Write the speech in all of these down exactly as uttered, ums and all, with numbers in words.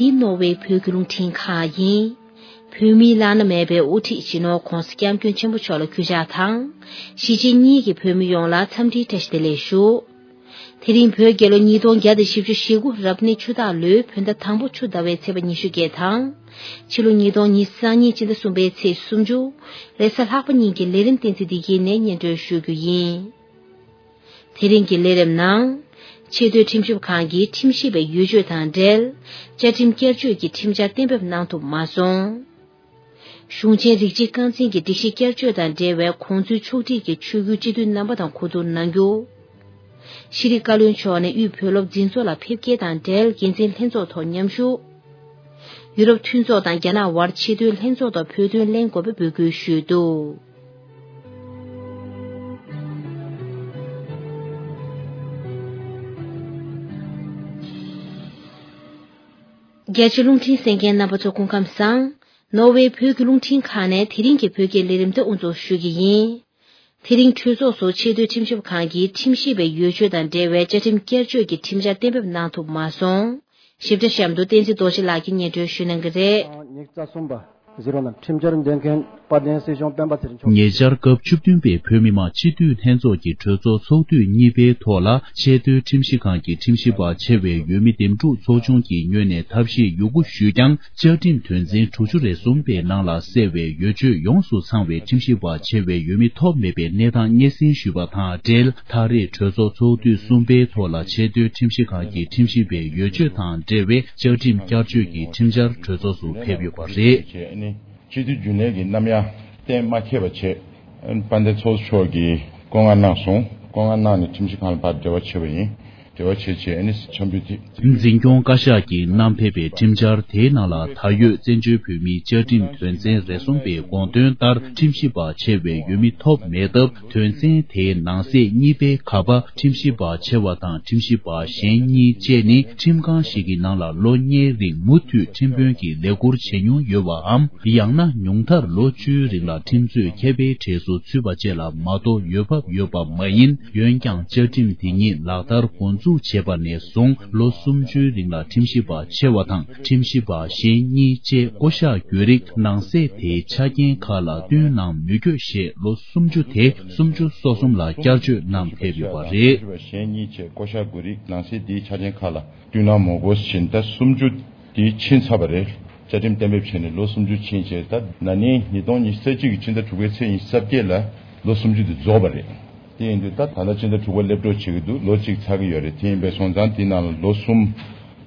འདི་ནོར་ཝེ་བོད་ཀྱི་རླུང་འཕྲིན་ཁང་ཡིན། བོད་མིའི་བླ་ན་མེད་པའི་དབུ་ཁྲིད་སྤྱི་ནོར་༧གོང་ས་༧སྐྱབས་མགོན་ཆེན་པོ་མཆོག་ལ་གུས་ཕྱག་དང་། གཞིས་བྱེས་གཉིས་ཀྱི་བོད་མི་ཡོངས་ལ་འཚམས་འདྲིའི་བཀྲ་ཤིས་བདེ་ལེགས་ཞུ། དེ་རིང་བོད་རྒྱལ་ལོ་ཉིས་སྟོང་བརྒྱ་དང་བཞི་བཅུ་ཞེ་དགུ་རབ་གནས་ཆུ་སྟག་ལོའི་བོད་ཟླ་དང་པོ་ཆུ་ཟླ་བའི་ཚེས་པ་ཉི་ཤུ་བརྒྱད་དང་། ཕྱི་ལོ་ཉིས་སྟོང་ཉི་ཤུ་རྩ་གཉིས་སྤྱི་ཟླ་གསུམ་པའི་ཚེས་སུམ་ཅུ། རེས་གཟའ་ལྷག་པ་ཉིན་གྱི་ལས་རིམ་བསྟན་འཛིན་བདེ་སྐྱིད་ནས་སྙན་སྒྲོན་ཞུ་རྒྱུ་ཡིན། དེ་རིང་གི་ལས་རིམ་ནང་། ཆེས་མཐོའི་ཁྲིམས་ཞིབ་ཁང་གི་ཁྲིམས་ཞིབ་པའི་འོས་ཆོས་དང་འབྲེལ། བཅའ་ཁྲིམས་བསྐྱར་བཅོས་ཀྱི་ཁྲིམས་འཆར་གཏན་འབེབས་གནང་ཐུབ་མ་སོང་། གཞུང་ཆེན་རིགས་གཅིག་རྐང་འཛིན་གྱི་སྒྲིག་གཞི་བསྐྱར་བཅོས་དང་འབྲེལ་བའི་གོང་ཚུལ་ཕྱོགས་སྒྲིག་གི་ཆོས་བརྒྱུད་སྤྱི་འཐུས་རྣམ་པ་དང་གོ་བསྡུར་གནང་རྒྱུ། ཤེས་རིག་བཀའ་བློན་མཆོག་ནས་དབུས་བོད་སློབ་འཛིན་ཚོགས་ལ་ཕེབས་སྐྱེལ་དང་འབྲེལ་འགན་འཛིན་ལྷན་ཚོགས་ཐོག་མཉམ་ཞུགས། ཡུ་རོབ་མཐུན་ཚོགས་དང་རྒྱ་ནག་དབར་ཆེས་མཐོའི་ལྷན་ཚོགས་ཐོག་བོད་དོན་གླེང་དགོས་པའི་འབོད་སྐུལ་ཞུས་འདུག། རྒྱ་ཆེ་རླུང་འཕྲིན་གསན་མཁན་རྣམ་པ་ཚོ་སྐུ་ཁམས་བཟང་། ནོར་ཝེ་བོད་ཀྱི་རླུང་འཕྲིན་ཁང་ནས་དེ་རིང་གི་བོད་སྐད་ལས་རིམ་དེ་དབུ་འཛུགས་ཞུ་གི་ཡིན། དེ་རིང་གྲོས་ཚོགས་སུ་ཆེས་མཐོའི་ཁྲིམས་ཞིབ་ཁང་གི་ཁྲིམས་ཞིབ་པའི་འོས་ཆོས་དང་འབྲེལ་བའི་བཅའ་ཁྲིམས་བསྐྱར་བཅོས་ཀྱི་ཁྲིམས་འཆར་གཏན་འབེབས་གནང་ཐུབ་མ་སོང་། ཞིབ་ཕྲ་གཤམ་དུ་བསྟན་འཛིན་རྡོ་རྗེ་ལགས་ཀྱིས་སྙན་སྒྲོན་ཞུ་གནང་གི་རེད། ཉིས་རྩ་གསུམ་པ། གཟིགས་རོགས་གནང་། ཁྲིམས་འཆར་འདོན་མཁན་དཔལ་ལྡན་སྲིད་གཞུང་སྤེན་པ་ཚེ་རིང་མཆོག་ཉེ་ཆར་སྐབས་བཅུ་བདུན་པའི་བོད་མི་མང་སྤྱི་འཐུས་ལྷན་ཚོགས་ཀྱི་གྲོས་ཚོགས་ཚོགས་དུས་གཉིས་པའི་ཐོག་ལ་ཆེས་མཐོའི་ཁྲིམས་ཞིབ་ཁང་གི་ཁྲིམས་ཞིབ་པ་ཆེ་བའི་འོས་མི་འདེམས་སྒྲུག་ཚོགས་ཆུང་གི་ངོས་ནས་ཐབས་ཤེས་ཡོད་རྒུ་ཞུས་ཀྱང་། བཅའ་ཁྲིམས་དོན་ཚན་དྲུག་ཅུ་རེ་གསུམ་པའི་ནང་ལ་གསལ་བའི་འོས་ཆོས་ཡོངས་སུ་ཚང་བའི་ཁྲིམས་ཞིབ་པ་ཆེ་བའི་འོས་མི་ཐོབ་མེད་པའི་གནས་སྟངས་སྙན་སེང་ཞུས་པ་དང་འབྲེལ། ད་རེས་གྲོས་ཚོགས་ཚོགས་དུས་གསུམ་པའི་ཐོག་ལ་ཆེས་མཐོའི་ཁྲིམས་ཞིབ་ཁང་གི་ཁྲིམས་ཞིབ་པའི་འོས་ཆོས་དང་འབྲེལ་བའི་བཅའ་ཁྲིམས་བསྐྱར་བཅོས་ཀྱི་ཁྲིམས་འཆར་གྲོས་ཚོགས་སུ་ཕེབས་ཡོད་པ་རེད། སྤྱི་འཐུས་རྒྱུན་ལས་ཀྱི་རྣམ་གཡར་གཏན་མ་འཁེལ་བ་བྱས། དཔལ་ལྡན་ཚོགས་གཙོ་མཆོག་གིས་བསྐོ་མངགས་གནང་སོང་། བསྐོ་མངགས་གནང་ནས་ཁྲིམས་ཞིབ་ཁང་ལ་ཕར་འབྲེལ་བ་བྱས་པ་ཡིན། འབྲེལ་བ་བྱས་བྱས་ཨ་ནི་འཆམ་འབུལ་དེ། འཛིན་སྐྱོང་བཀའ་ཤག་གིས་བསྣམས་ཕེབས་པའི་ཁྲིམས་འཆར་དེའི་ནང་ལ་ད་ཡོད་བཙན་བྱོལ་བོད་མིའི་བཅའ་ཁྲིམས་དོན་ཚན་རེ་གསུམ་པའི་དགོངས་དོན་ལྟར་ཁྲིམས་ཞིབ་པ་ཆེ་བའི་འོས་མི་ཐོབ་མེད་སྟབས། དོན་ཚན་དེའི་ནང་གསེས་གཉིས་པའི་ཁ་པ་ཁྲིམས་ཞིབ་པ་ཆེ་བ་དང་ཁྲིམས་ཞིབ་པ་གཞན་གཉིས་བཅས་ནི་ཁྲིམས་ཁང་ཞིག་གི་ནང་ལ་ལོ་ལྔའི་རིང་མུ་མཐུད་ཁྲིམས་དཔོན་གྱི་ལས་ཁུར་བྱེད་མྱོང་ཡོད་པའམ། ཡང་ན་ཉུང་མཐར་ལོ་བཅུའི་རིང་ལ་ཁྲིམས་རྩོད་མཁས་པའི་གྲས་སུ་ཚུད་པ་བཅས་ལ་མ་གཏོགས་འོས་བབ་ཡོད་པ་མ་ཡིན། འོན་ཀྱང་བཅའ་ཁྲིམས་དེ་ཉིད་ལག་བསྟར་འགོ་འཛུགས་བྱས་པ་ནས་བཟུང་ལོ་སུམ་ཅུའི་རིང་ལ་ཁྲིམས་ཞིབ་པ་ཆེ་བ་དང་ཁྲིམས་ཞིབ་པ་གཞན་གཉིས་བཅས་བསྐོ་གཞག་གྱོད་རིགས་ནང་གསེས་དེའི་ཆ་རྐྱེན་ཁག་ལ་བསྟུན་གནང་མི་དགོས་ཞེས་ལོ་སུམ་ཅུ་དེ་སུམ་ཅུ་སོ་གསུམ་ལ་བསྐྱར་བཅོས་གནང་ཕེབས་ཡོད་པ་རེད། གཞན་གཉིས་བཅས་བསྐོ་གཞག་དགོས་རིགས་ནང་གསེས་དེའི་ཆ་རྐྱེན་ཁག་ལ་བསྟུན་གནང་མ་དགོས་ཕྱིན། ད་སུམ་ཅུ་དེ་ཕྱིན་ཚར་བ་རེད། བཅའ་ཁྲིམས་གཏན་འབེབས་བྱས་ནས་ལོ་སུམ་ཅུ་ཕྱིན་རྗེས། ད་ན་ནིང་ཉིས་སྟོང་ཉི་ཤུ་རྩ་གཅིག་གི་ཕྱི་ཟླ་དྲུག་པའི་ཚེས་ཉི་ཤུ་རྩ་བརྒྱད་ལ་ལོ་སུམ་ཅུ་དེ་རྫོགས་པ་རེད། དེ་ཡིན་དུས་ད་ད་ལྟ་ཕྱི་ཟླ་དྲུག་པ་སླེབས་འགྲོ་བྱེད་ཀྱི་འདུག་ལོ་གཅིག་ཚར་གྱི་ཡོད་རེད། དེ་ཡིན་པའི་སོང་ཙང་དེའི་ནང་ལ་ལོ་གསུམ་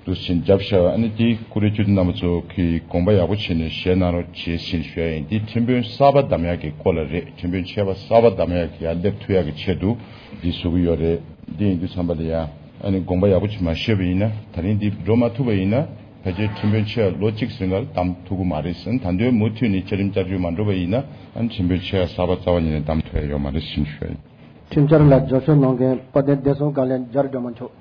དུ་ཕྱིན་བརྒྱབ་བཞག་ཨ་ནི་དེའི་ཀུ་རེ་སྤྱི་འཐུས་རྣམ་པ་ཚོ་གིས་དགོངས་པ་ཡག་པོ་བྱས་ནས་བཞེས་གནང་རོགས་བྱེད་ཕྱིན་ཞུ་ཡ་ཡིན། དེ་ཁྲིམས་དཔོན་གསར་པ་བདམས་ཡག་གི་སྐོར་ལ་རེད། ཁྲིམས་དཔོན་ཆེ་བ་གསར་པ་བདམས་ཡག་གི་ཡར་སླེབས་ཐུབ་ཡག་གི་ཆེད་དུ་འདི་བཟོ་གི་ཡོད་རེད། འདི་ཡིན་དུས་ཙམ་པ་ལ་ཡ་ཨ་ནི་དགོངས་པ་ཡག་པོ་ཅིག་མ་བཞེས་པ་ཡིན་ན། ད་རིང་འདི་འགྲོ་མ་ཐུབ་པ་ཡིན་ན་ཕལ་ཆེར་ཁྲིམས་དཔོན་ཆེ་བ་ལོ་གཅིག་རིང་ལ་བདམས་ཐུབ་ཀྱི་མ་རེད་ཟེར། ད་དུང་མུ་མཐུད་ནས་བཅའ་ཁྲིམས་བསྐྱར་བཅོས་མ་འགྲོ་བ་ཡིན་ན་ཨ་ནི་ཁྲིམས་དཔོན་ཆེ་བ་གསར་པ་རྩ་བ་ཉིད་ནས་བདམས་ཐུབ་ཡ་ཡོད་མ་རེད་ཟེར་ཞུ་ཡ་ཡིན། ཁྲིམས་འཆར་ལ་རྒྱབ་སྐྱོར་གནང་མཁན་དཔལ་ལྡན་བདེ་སྲུང་བཀའ་བློན་རྒྱ་རི་སྒྲོལ་མ་མཆོག་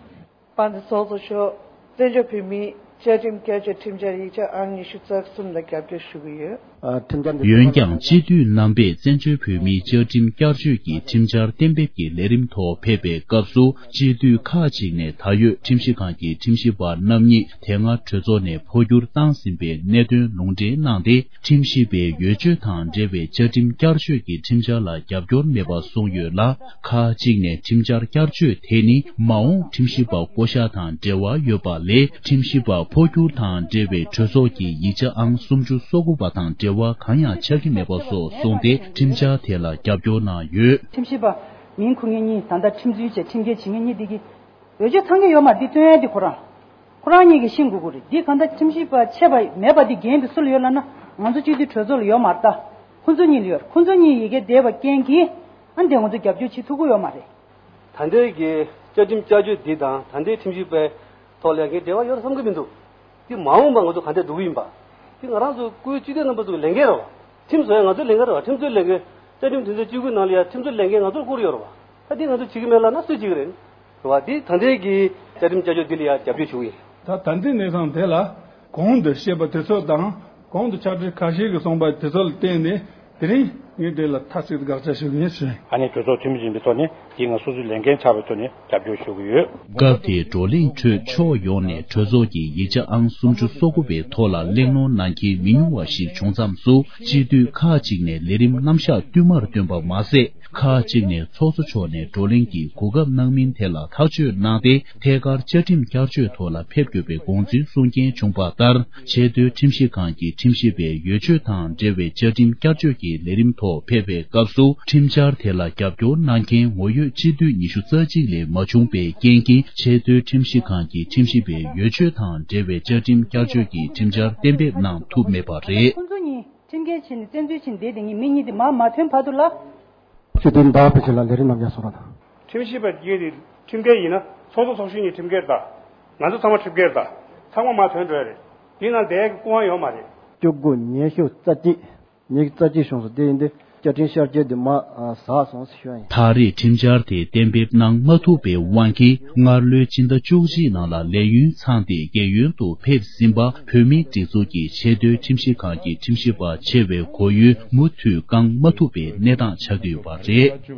དཔལ་ལྡན་ཚོགས་གཙོ་མཆོག་བཙན་བྱོལ་བོད་མིའི་བཅའ་ཁྲིམས་བསྐྱར་བཅོས་ཁྲིམས་འཆར་ཡིག་ཆ་ཨང་ཉི་ཤུ་རྩ་གསུམ་ལ་རྒྱབ་སྐྱོར་ཞུ་གི་ཡོད། ཨ། ཁྲིམས་འཆར་འདི། འོན་ཀྱང་སྤྱི་འཐུས་རྣམ་པས་བཙན་བྱོལ་བོད་མིའི་བཅའ་ཁྲིམས་བསྐྱར་བཅོས་ཀྱི་ཁྲིམས་འཆར་གཏན་འབེབས་ཀྱི་ལས་རིམ་ཐོག་ཕེབས་པའི་སྐབས་སུ་སྤྱི་འཐུས་ཁག་ཅིག་ནས་ད་ཡོད་ཁྲིམས་ཞིབ་ཁང་གི་ཁྲིམས་ཞིབ་པ་རྣམ་གཉིས་དེ་སྔ་གྲོས་ཚོགས་ནས་འཕོ་འགྱུར་བཏང་ཟིན་པའི་གནད་དོན་ལུང་འདྲེན་གནང་སྟེ། ཁྲིམས་ཞིབ་པའི་འོས་ཆོས་དང་འབྲེལ་བའི་བཅའ་ཁྲིམས་བསྐྱར་བཅོས་ཀྱི་ཁྲིམས་འཆར་ལ་རྒྱབ་སྐྱོར་མེད་པ་གསུངས་ཡོད་ལ། ཁག་ཅིག་ནས་ཁྲིམས་འཆར་བསྐྱར་བཅོས་དེ་ནི་མ་འོངས་ཁྲིམས་ཞིབ་པ་བསྐོ་གཞག་དང་འབྲེལ་བ་ཡོད་པ་ལས། ཁྲིམས་ཞིབ་པ་འཕོ་འགྱུར་དང་འབྲེལ་བའི་གྲོས་ཚོགས་ཀྱི་ཡིག་ཆ་ཨང་སུམ་ཅུ་སོ་དགུ་པ་དང་འབྲེལ་བ་གང་ཡང་ཆགས་ཀྱི་མེད་པ་སོགས་གསུངས་ཏེ། ཁྲིམས་འཆར་དེ་ལ་རྒྱབ་སྐྱོར་གནང་ཡོད། ཁྲིམས་ཞིབ་པ་མིང་འཁུར་མཁན་གཉིས་ད་ལྟ་ཁྲིམས་རྩོད་བྱས་ཁྲིམས་འགལ་བྱེད་མཁན་གཉིས་དེ་གི་འོས་ཆོས་ཚང་གི་ཡོད་མ་རེད། འདི་སྟོན་ཡ་དེ་ཁོ་རང་། ཁོ་རང་གཉིས་ཀྱིས་ཤེས་དགོས་ཀྱི་རེད། འདི་གང་ལྟར་ཁྲིམས་ཞིབ་པ་ཆད་པ་མེད་པ་འདི་འགན་འདི་སུ་ལ་ཡོད་ལབ་ན། ང་ཚོ་སྤྱི་འཐུས་གྲོས་ཚོགས་ལ་ཡོད་མ་རེད་ད། ཁོ་ཚོ་གཉིས་ལ་ཡོད་རེད། ཁོ་ཚོ་གཉིས་ཡི་གེ་བསྡད་པ་རྐྱེན་གྱིས་ཨ་འདི་ང་ཚོ་རྒྱབ་སྐྱོར་བྱེད་ཐུབ་ཀྱི་ཡོད་མ་རེད། ད་ལྟའི་གི་བཅའ་ཁྲིམས་བསྐྱར་བཅོས་འདི་དང་ད་ལྟའི་ཁྲིམས་ཞིབ་པའི་ཐོག་ལ་ངས་འབྲེལ་བ་ཡོད་བསམ་གྱི་མི་འདུག་འདི་མ་འོངས་པ་ང་ཚོ་ག་འདྲས་འགྲོ་གི་ཡིན་པ། འདི་ང་རང་ཚོ་སྐུའི་སྤྱི་འཐུས་རྣམ་པ་ཚོའི་ལས་འགན་རེད་བ། ཁྲིམས་བཟོ་ཡ་ང་ཚོའི་ལས་འགན་རེད་བ། ཁྲིམས་བཟོའི་ལས་འགན་བཅའ་ཁྲིམས་དོན་ཚན་བཅུ་དགུ་ནང་ལ་ཡ་ཁྲིམས་བཟོའི་ལས་འགན་ང་ཚོར་བསྐུར་ཡོད་རེད་བ། ད་འདི་ང་ཚོ་བྱེད་ཀྱི་མེད་ལབ་ན་སུས་བྱེད་ཀྱི་རེད། རེད་བ། འདི་ད་ལྟའི་གི་བཅའ་ཁྲིམས་བསྐྱར་བཅོས་འདི་ལ་ཡ་རྒྱབ་སྐྱོར་ཞུ་གི་ཡིན། ད་ད་ལྟའི་གནས་སྟངས་དེ་ལ་གོང་དུ་བཤད་པ་དེ་ཚོ་དང་གོང་དུ་ཕྱག་སྦྲེལ་ཁ་ཤས་ཀྱིས་གསུངས་པ་དེ་ཚོ་ལ་བརྟེན་ནས་དེ་རིང་ ངས་འདི་ལ་མཐའ་གཅིག་ཏུ་དགག་བྱ་ཞུ་གི་ཡིན་ཟེར། ཨ་ནེ་གྲོས་ཚོགས་འཐུས་མི་ཡིན་པའི་ཐོག་ནས་དེ་ང་སོ་སོའི་ལས་འགན་ཆགས་པའི་ཐོག་ནས་རྒྱབ་སྐྱོར་ཞུ་གི་ཡོད། སྐབས་དེའི་བགྲོ་གླེང་ཁྲོད་ཕྱོགས་ཡོངས་ནས་གྲོས་ཚོགས་ཀྱི་ཡིག་ཆ་ཨང་སུམ་ཅུ་སོ་དགུ་པའི་ཐོག་ལ་གླེང་སློང་གནང་མཁན་མི་ཉུང་བ་ཞིག་བྱུང་མཚམས་སུ། སྤྱི་འཐུས་ཁག་ཅིག་ནས་ལས་རིམ་རྣམ་གཞག་བསྟུད་མར་བཏོན་པ་མ་ཟད། ཁག་ཅིག་ནས་ཚོགས་གཙོ་མཆོག་ནས་བགྲོ་གླེང་གི་གོ་སྐབས་གནང་མིན་ཐད་ལ་ཐག་གཅོད་གནང་སྟེ། ཐད་ཀར་བཅའ་ཁྲིམས་བསྐྱར་བཅོས་ཐོག་ལ་ཕེབས་དགོས་པའི་དགོངས་ཚུལ་གསུངས་མཁན་བྱུང་པ་ལྟར། ཆེས་མཐོའི་ཁྲིམས་ཞིབ་ཁང་གི་ཁྲིམས་ཞིབ་པའི་འོས་ཆོས་དང་འབྲེལ་བའི་བཅའ་ཁྲིམས་བསྐྱར་བཅོས་ཀྱི་ལས་རིམ་ཐོག་ཕེབས་པའི་སྐབས་སུ། ཁྲིམས་འཆར་དེ་ལ་རྒྱབ་སྐྱོར་གནང་མཁན་ངོ་ཡོད་སྤྱི་འཐུས་ཉི་ཤུ་རྩ་གཅིག་ལས་མ་བྱུང་པའི་རྐྱེན་གྱིས། ཆེས་མཐོའི་ཁྲིམས་ཞིབ་ཁང་གི་ཁྲིམས་ཞིབ་པའི་འོས་ཆོས་དང་འབྲེལ་བའི་བཅའ་ཁྲིམས་བསྐྱར་བཅོས་ཀྱི་ཁྲིམས་འཆར་གཏན་འབེབས་གནང་ཐུབ་མེད་པ་རེད། ཁོང་ཚོ་གཉིས་ཁྲིམས་འགལ་བྱས་ནས་བཙན་འཛུལ་བྱས་ནས་བསྡད་དེ་ངས་མི་གཉིས་དེ་མར་མ་ཐོན་བར་དུ་ལ། སྤྱི་འཐུས་འདའ་བའི་ཆེད་ལ་ལས་རིམ་རྣམས་ཀྱང་སོ་ར་དང་། ཁྲིམས་ཞིབ་པ་གཉིས་དེ་ཁྲིམས་འགལ་ཡིན་ན་ཚོགས་གཙོ་ཚོགས་གཞོན་གཉིས་ཁྲིམས་འགལ་དང་། ང་ཚོ་ཚང་མ་ཁྲིམས་འགལ་དང་། ཚང་མ་མར་ཐོན་འགྲོ་ཡ་རེད། དེ་ནང་བསྡད་ཡ་གི་སྐུ་དབང་ཡོད་མ་རེད། བཅུ་དགུ་ཉི་ཤུ་རྩ་གཅིག་ཉི་ཤུ་རྩ་གཅིག་བྱུང་སོང་དེ་ཡིན་དུས། བཅའ་ཁྲིམས་ཤར་སྐྱོད་དེ་མ་ཟགས་སོང་ཞུ་ཡ་ཡིན། ད་རེས་ཁྲིམས་འཆར་དེ་གཏན་འབེབས་གནང་མ་ཐུབ་པའི་དབང་གིས། སྔར་ལོའི་ཕྱི་ཟླ་བཅུ་གཅིག་ནང་ལ་ལས་ཡུན་ཚང་སྟེ་རྒས་ཡོལ་དུ་ཕེབས་ཟིན་པ། བོད་མིའི་སྒྲིག་འཛུགས་ཀྱི་ཆེས་མཐོའི་ཁྲིམས་ཞིབ་ཁང་གི་ཁྲིམས་ཞིབ་པ་ཆེ་བའི་གོ་ཡུལ་མུ་མཐུད་བསྐང་མ་ཐུབ་པའི་གནས་སྟངས་ཆགས་ཀྱི་ཡོད་པ་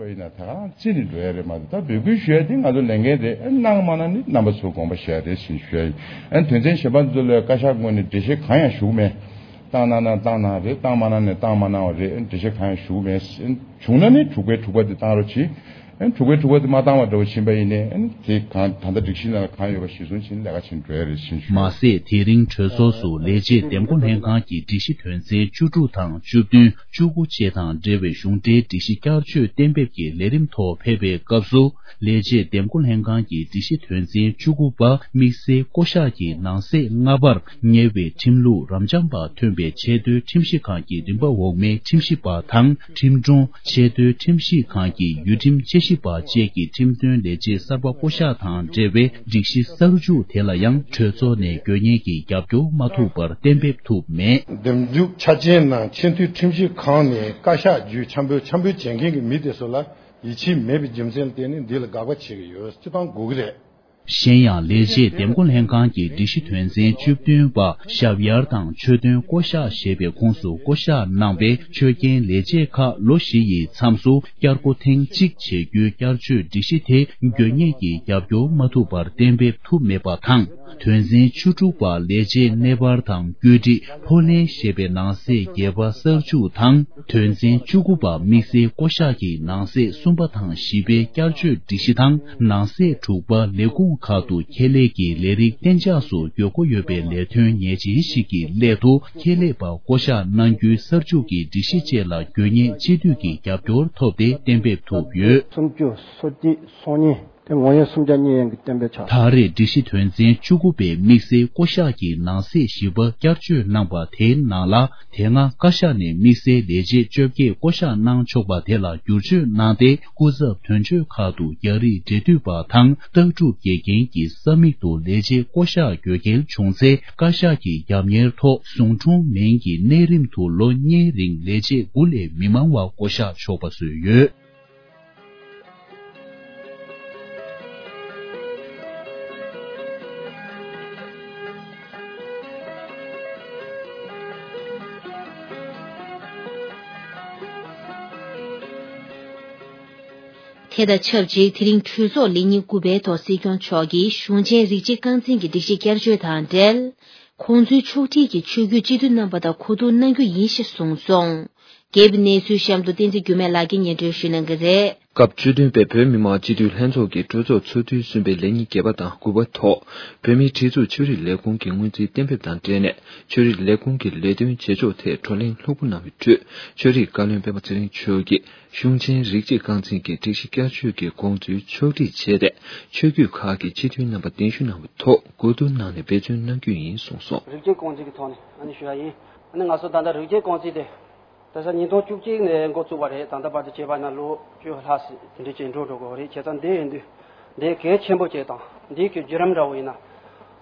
རེད། ད་ག་རང་རྩིས་ནས་འགྲོ་ཡ་རེད་མ་གཏོགས། ད་འབོད་སྐུལ་ཞུ་ཡ་དེ་ང་ཚོ་ལས་འགན་རེད། གནང་མ་གནང་ནི་རྣམ་པ་ཚོའི་དགོངས་པ་བཞག་རེད་ཟེར་ཞུ་ཡ་ཡིན། དོན་ཚན་གཞན་པ་ཚོ་ལ་བཀའ་ཤག་ངོས་ནས་འགྲེལ་བཤད་གང་ཡང་ཞུ་གི་མེད། བཏང་གནང་ན་བཏང་གནང་རེད། བཏང་མ་གནང་ན་བཏང་མ་གནང་བ་རེད། འགྲེལ་བཤད་གང་ཡང་ཞུ་གི་མེད། བྱུང་ན་ནི་དྲུག་པའི་དྲུག་པ་དེ་བཏང་རོགས་གྱིས། དྲུག་པའི་དྲུག་པ་དེ་མ་བཏང་བ་འདྲ་བོ་ཕྱིན་པ་ཡིན་ནའི། དེ་གང་ད་ལྟ་སྒྲིག་གཞི་ནང་ལ་གང་ཡོད་པ་གཞིར་བཟུང་བྱས་ནས་ལས་ཀ་བྱེད་འགྲོ་ཡ་རེད་ཟེར་ཞུ། མ་ཟད། དེ་རིང་གྲོས་ཚོགས་སུ་ལས་བྱེད་འདེམས་བསྐོ་ལྷན་ཁང་གི་སྒྲིག་གཞི་དོན་ཚན་བཅུ་དྲུག་དང་བཅུ་བདུན། བཅུ་དགུ་བཅས་དང་འབྲེལ་བའི་གཞུང་འབྲེལ་སྒྲིག་གཞི་བསྐྱར་བཅོས་གཏན་འབེབས་ཀྱི་ལས་རིམ་ཐོག་ཕེབས་པའི་སྐབས་སུ། ལས་བྱེད་འདེམས་བསྐོ་ལྷན་ཁང་གི་སྒྲིག་གཞི་དོན་ཚན་བཅུ་དགུ་པ་དམིགས་བསལ་བསྐོ་གཞག་གི་ནང་གསེས་ལྔ་པར། ཉེ་བའི་ཁྲིམས་ལུགས་རབ་འབྱམས་པ་ཐོན་པའི་ཆེས་མཐོའི་ཁྲིམས་ཞིབ་ཁང་གི་རིམ་པ་འོག་མའི་ཁྲིམས་ཞིབ་པ་དང་། ཁྲིམས་དྲུང་། ཆེས་མཐོའི་ཁྲིམས་ཞིབ་ཁང་གི་ཡུལ་ཁྲིམས་དཔྱད་ཞིབ་པ་བཅས་ཀྱི་ཁྲིམས་དོན་ལས་བྱེད་གསར་པ་བསྐོ་གཞག་དང་འབྲེལ་བའི་སྒྲིག་གཞི་གསར་འཇུག་དེ་ལ་ཡང་གྲོས་ཚོགས་ནས་དགོས་ངེས་ཀྱི་རྒྱབ་སྐྱོར་མ་ཐུབ་པར་གཏན་འབེབས་ཐུབ་མེད། འདེམས་འཛུགས་ཆ་རྐྱེན་ནང་ཆེས་མཐོའི་ཁྲིམས་ཞིབ་ཁང་ནས་བཀའ་ཤག་བརྒྱུད་འཆམ་འབོད་འཆམ་འབོད་བྱེད་མཁན་གྱི་མི་དེ་ཚོ་ལ་ཡིད་ཆེས་མེད་པའི་རྒྱུ་མཚན་ལ་བརྟེན་ནས་འདི་ལ་དགག་པ་བྱེད་ཀྱི་ཡོད། སྤྱི་བཏང་དགོས་ཀྱི་རེད། གཞན་ཡང་། ལས་བྱེད་འདེམས་བསྐོ་ལྷན་ཁང་གི་སྒྲིག་གཞི་དོན་ཚན་བཅུ་བདུན་པ། ཞབས་ཡར་དང་ཆོས་དོན་བསྐོ་གཞག་ཞེས་པའི་ཁོངས་སུ་བསྐོ་གཞག་གནང་བའི་ཆོས་རྒྱན་ལས་བྱེད་ཁག་ལོ་བཞི་ཡི་མཚམས་སུ་བསྐྱར་བསྐོ་ཐེངས་གཅིག་བྱེད་རྒྱུའི་བསྐྱར་བཅོས་སྒྲིག་གཞི་དེ་དགོས་ངེས་ཀྱི་རྒྱབ་སྐྱོར་མ་ཐུབ་པར་གཏན་འབེབས་ཐུབ་མེད་པ་དང་། དོན་ཚན་བཅུ་དྲུག་པ། ལས་བྱེད་གནས་སྤར་དང་བཀོད་སྒྲིག་ཕོགས་ལེན་ཞེས་པའི་ནང་གསེས་བརྒྱད་པ་གསར་འཇུག་དང་། དོན་ཚན་བཅུ་དགུ་པ། དམིགས་བསལ་བསྐོ་གཞག་གི་ནང་གསེས་གསུམ་པ་དང་བཞི་པའི་བསྐྱར་བཅོས་སྒྲིག་གཞི་དང་། ནང་གསེས་དྲུག་པ། ལས་ཁུངས་ཁག་ཏུ་ཁྱད་ལས་ཀྱི་ལས་རིགས་གཏན་འཇགས་སུ་དགོས་མཁོ་ཡོད་པའི་ལས་དོན་ངེས་ཅན་ཞིག་གི་སླད་དུ། ཁྱད་ལས་པ་བསྐོ་གཞག་གནང་རྒྱུའི་གསར་འཇུག་གི་སྒྲིག་གཞི་བཅས་ལ་དགོས་ངེས་སྤྱི་འཐུས་ཀྱི་རྒྱབ་སྐྱོར་ཐོབ་སྟེ་གཏན་འབེབས་ཐུབ་ཡོད། སུམ་ཅུ་སོ་གཅིག་སོ་གཉིས། དེ་ངོ་ཡོད་སུམ་བརྒྱ་གཉིས་ཡན་གྱི་གཏན་འབེབས་ཆགས། ད་རེས་སྒྲིག་གཞི་དོན་ཚན་བཅུ་དགུ་པའི་དམིགས་བསལ་བསྐོ་གཞག་གི་ནང་གསེས་བཞི་པ་བསྐྱར་བཅོས་གནང་པ་དེའི་ནང་ལ། དེ་སྔ་བཀའ་ཤག་ནས་དམིགས་བསལ་ལས་བྱེད་བཅོ་བརྒྱད་བསྐོ་གཞག་གནང་ཆོག་པ་དེ་ལ་བསྒྱུར་བཅོས་གནང་སྟེ། སྐུ་ཚབ་དོན་གཅོད་ཁག་ཏུ་རྒྱ་རིགས་འབྲེལ་མཐུད་པ་དང་། ལྟ་གྲུབ་དགེ་རྒན་གྱི་ས་མིག་ཏུ་ལས་བྱེད་བསྐོ་གཞག་དགོས་གལ་བྱུང་ཚེ། བཀའ་ཤག་གི་རྒྱབ་གཉེར་ཐོག་གཞུང་གྲོང་མིན་གྱི་གནས་རིམ་དུ་ལོ་གཉིས་རིང་ལས་བྱེད་དགུ་ལས་མི་མང་བ་བསྐོ་གཞག་ཆོག་པ་བཟོས་ཡོད། དེ་དང་ཆབས་ཅིག་དེ་རིང་གྲོས་ཚོགས་ལས་ཉིན་དགུ་པའི་ཐོག་སྲིད་སྐྱོང་མཆོག་གིས་གཞུང་ཆེན་རིགས་གཅིག་རྐང་འཛིན་གྱི་སྒྲིག་གཞི་བསྐྱར་བཅོས་དང་འབྲེལ། ཁོང་ཚོའི་ཕྱོགས་སྒྲིག་གི་ཆོས་བརྒྱུད་སྤྱི་འཐུས་རྣམ་པ་དང་གོ་བསྡུར་གནང་རྒྱུ་ཡིན་ཞེས་གསུངས་སོང་། རྒྱས་པའི་གནས་ཚུལ་གཤམ་དུ་བསྟན་འཛིན་འགྱུར་མེད་ལགས་ཀྱིས་སྙན་སྒྲོན་ཞུ་གནང་གི་རེད། སྐབས་བཅུ་བདུན་པའི་བོད་མི་མང་སྤྱི་འཐུས་ལྷན་ཚོགས་ཀྱི་གྲོས་ཚོགས་ཚོགས་དུས་གསུམ་པའི་ལས་ཉིན་བརྒྱད་པ་དང་དགུ་པ་ཐོག་བོད་མིའི་སྒྲིག་འཛུགས་ཆོས་རིག་ལས་ཁུངས་ཀྱི་སྔོན་རྩིས་གཏན་འབེབས་དང་འབྲེལ་ནས། ཆོས་རིག་ལས་ཁུངས་ཀྱི་ལས་དོན་བྱེད་ཕྱོགས་ཐད་བགྲོ་གླེང་ལྷུག་པོ་གནང་བའི་ཁྲོད། ཆོས་རིག་བཀའ་བློན་སྤེན་པ་ཚེ་རིང་མཆོག་གིས། གཞུང་ཆེན་རིགས་གཅིག་རྐང་འཛིན་གྱི་སྒྲིག་གཞི་བསྐྱར་བཅོས་ཀྱི་དགོངས་ཚུལ་ཕྱོགས་སྒྲིག་བྱས་ཏེ། ཆོས་བརྒྱུད་ཁག་གི་སྤྱི་འཐུས་རྣམ་པ་གདན་ཞུ་གནང་བའི་ཐོག་གོ་བསྡུར་གནང་ནས་འབད་བརྩོན་གནང་རྒྱུ་ཡིན་གསུངས་སོང་། རིགས་གཅིག་རྐང་འཛིན་གྱི་ཐོག་ནས་ཨ་ནི་ཞུ་ཡ་ཡིན། ཨ་ནི་ང་ཚོ་ད་ལྟ་རིགས་གཅིག་རྐང་འཛིན་དེ། ད་ཆ་ཉིས་སྟོང་བཅུ་གཅིག་ནས་འགོ་བཙུགས་པ་རེད། ད་ལྟ་བར་དུ་བྱས་པ་ན་ལོ་བཅུ་ལྷག་ཙམ་དེ་འདྲ་ཅིག་འགྲོ་འགྲོ་གི་རེད། བྱས་ཙང་འདི་ཡིན་དུས་འདི་གལ་ཆེན་པོ་ཅིག་དང་འདིའི་གི་བརྒྱུད་རིམ་འདྲ་བོ་ཡིན་ན་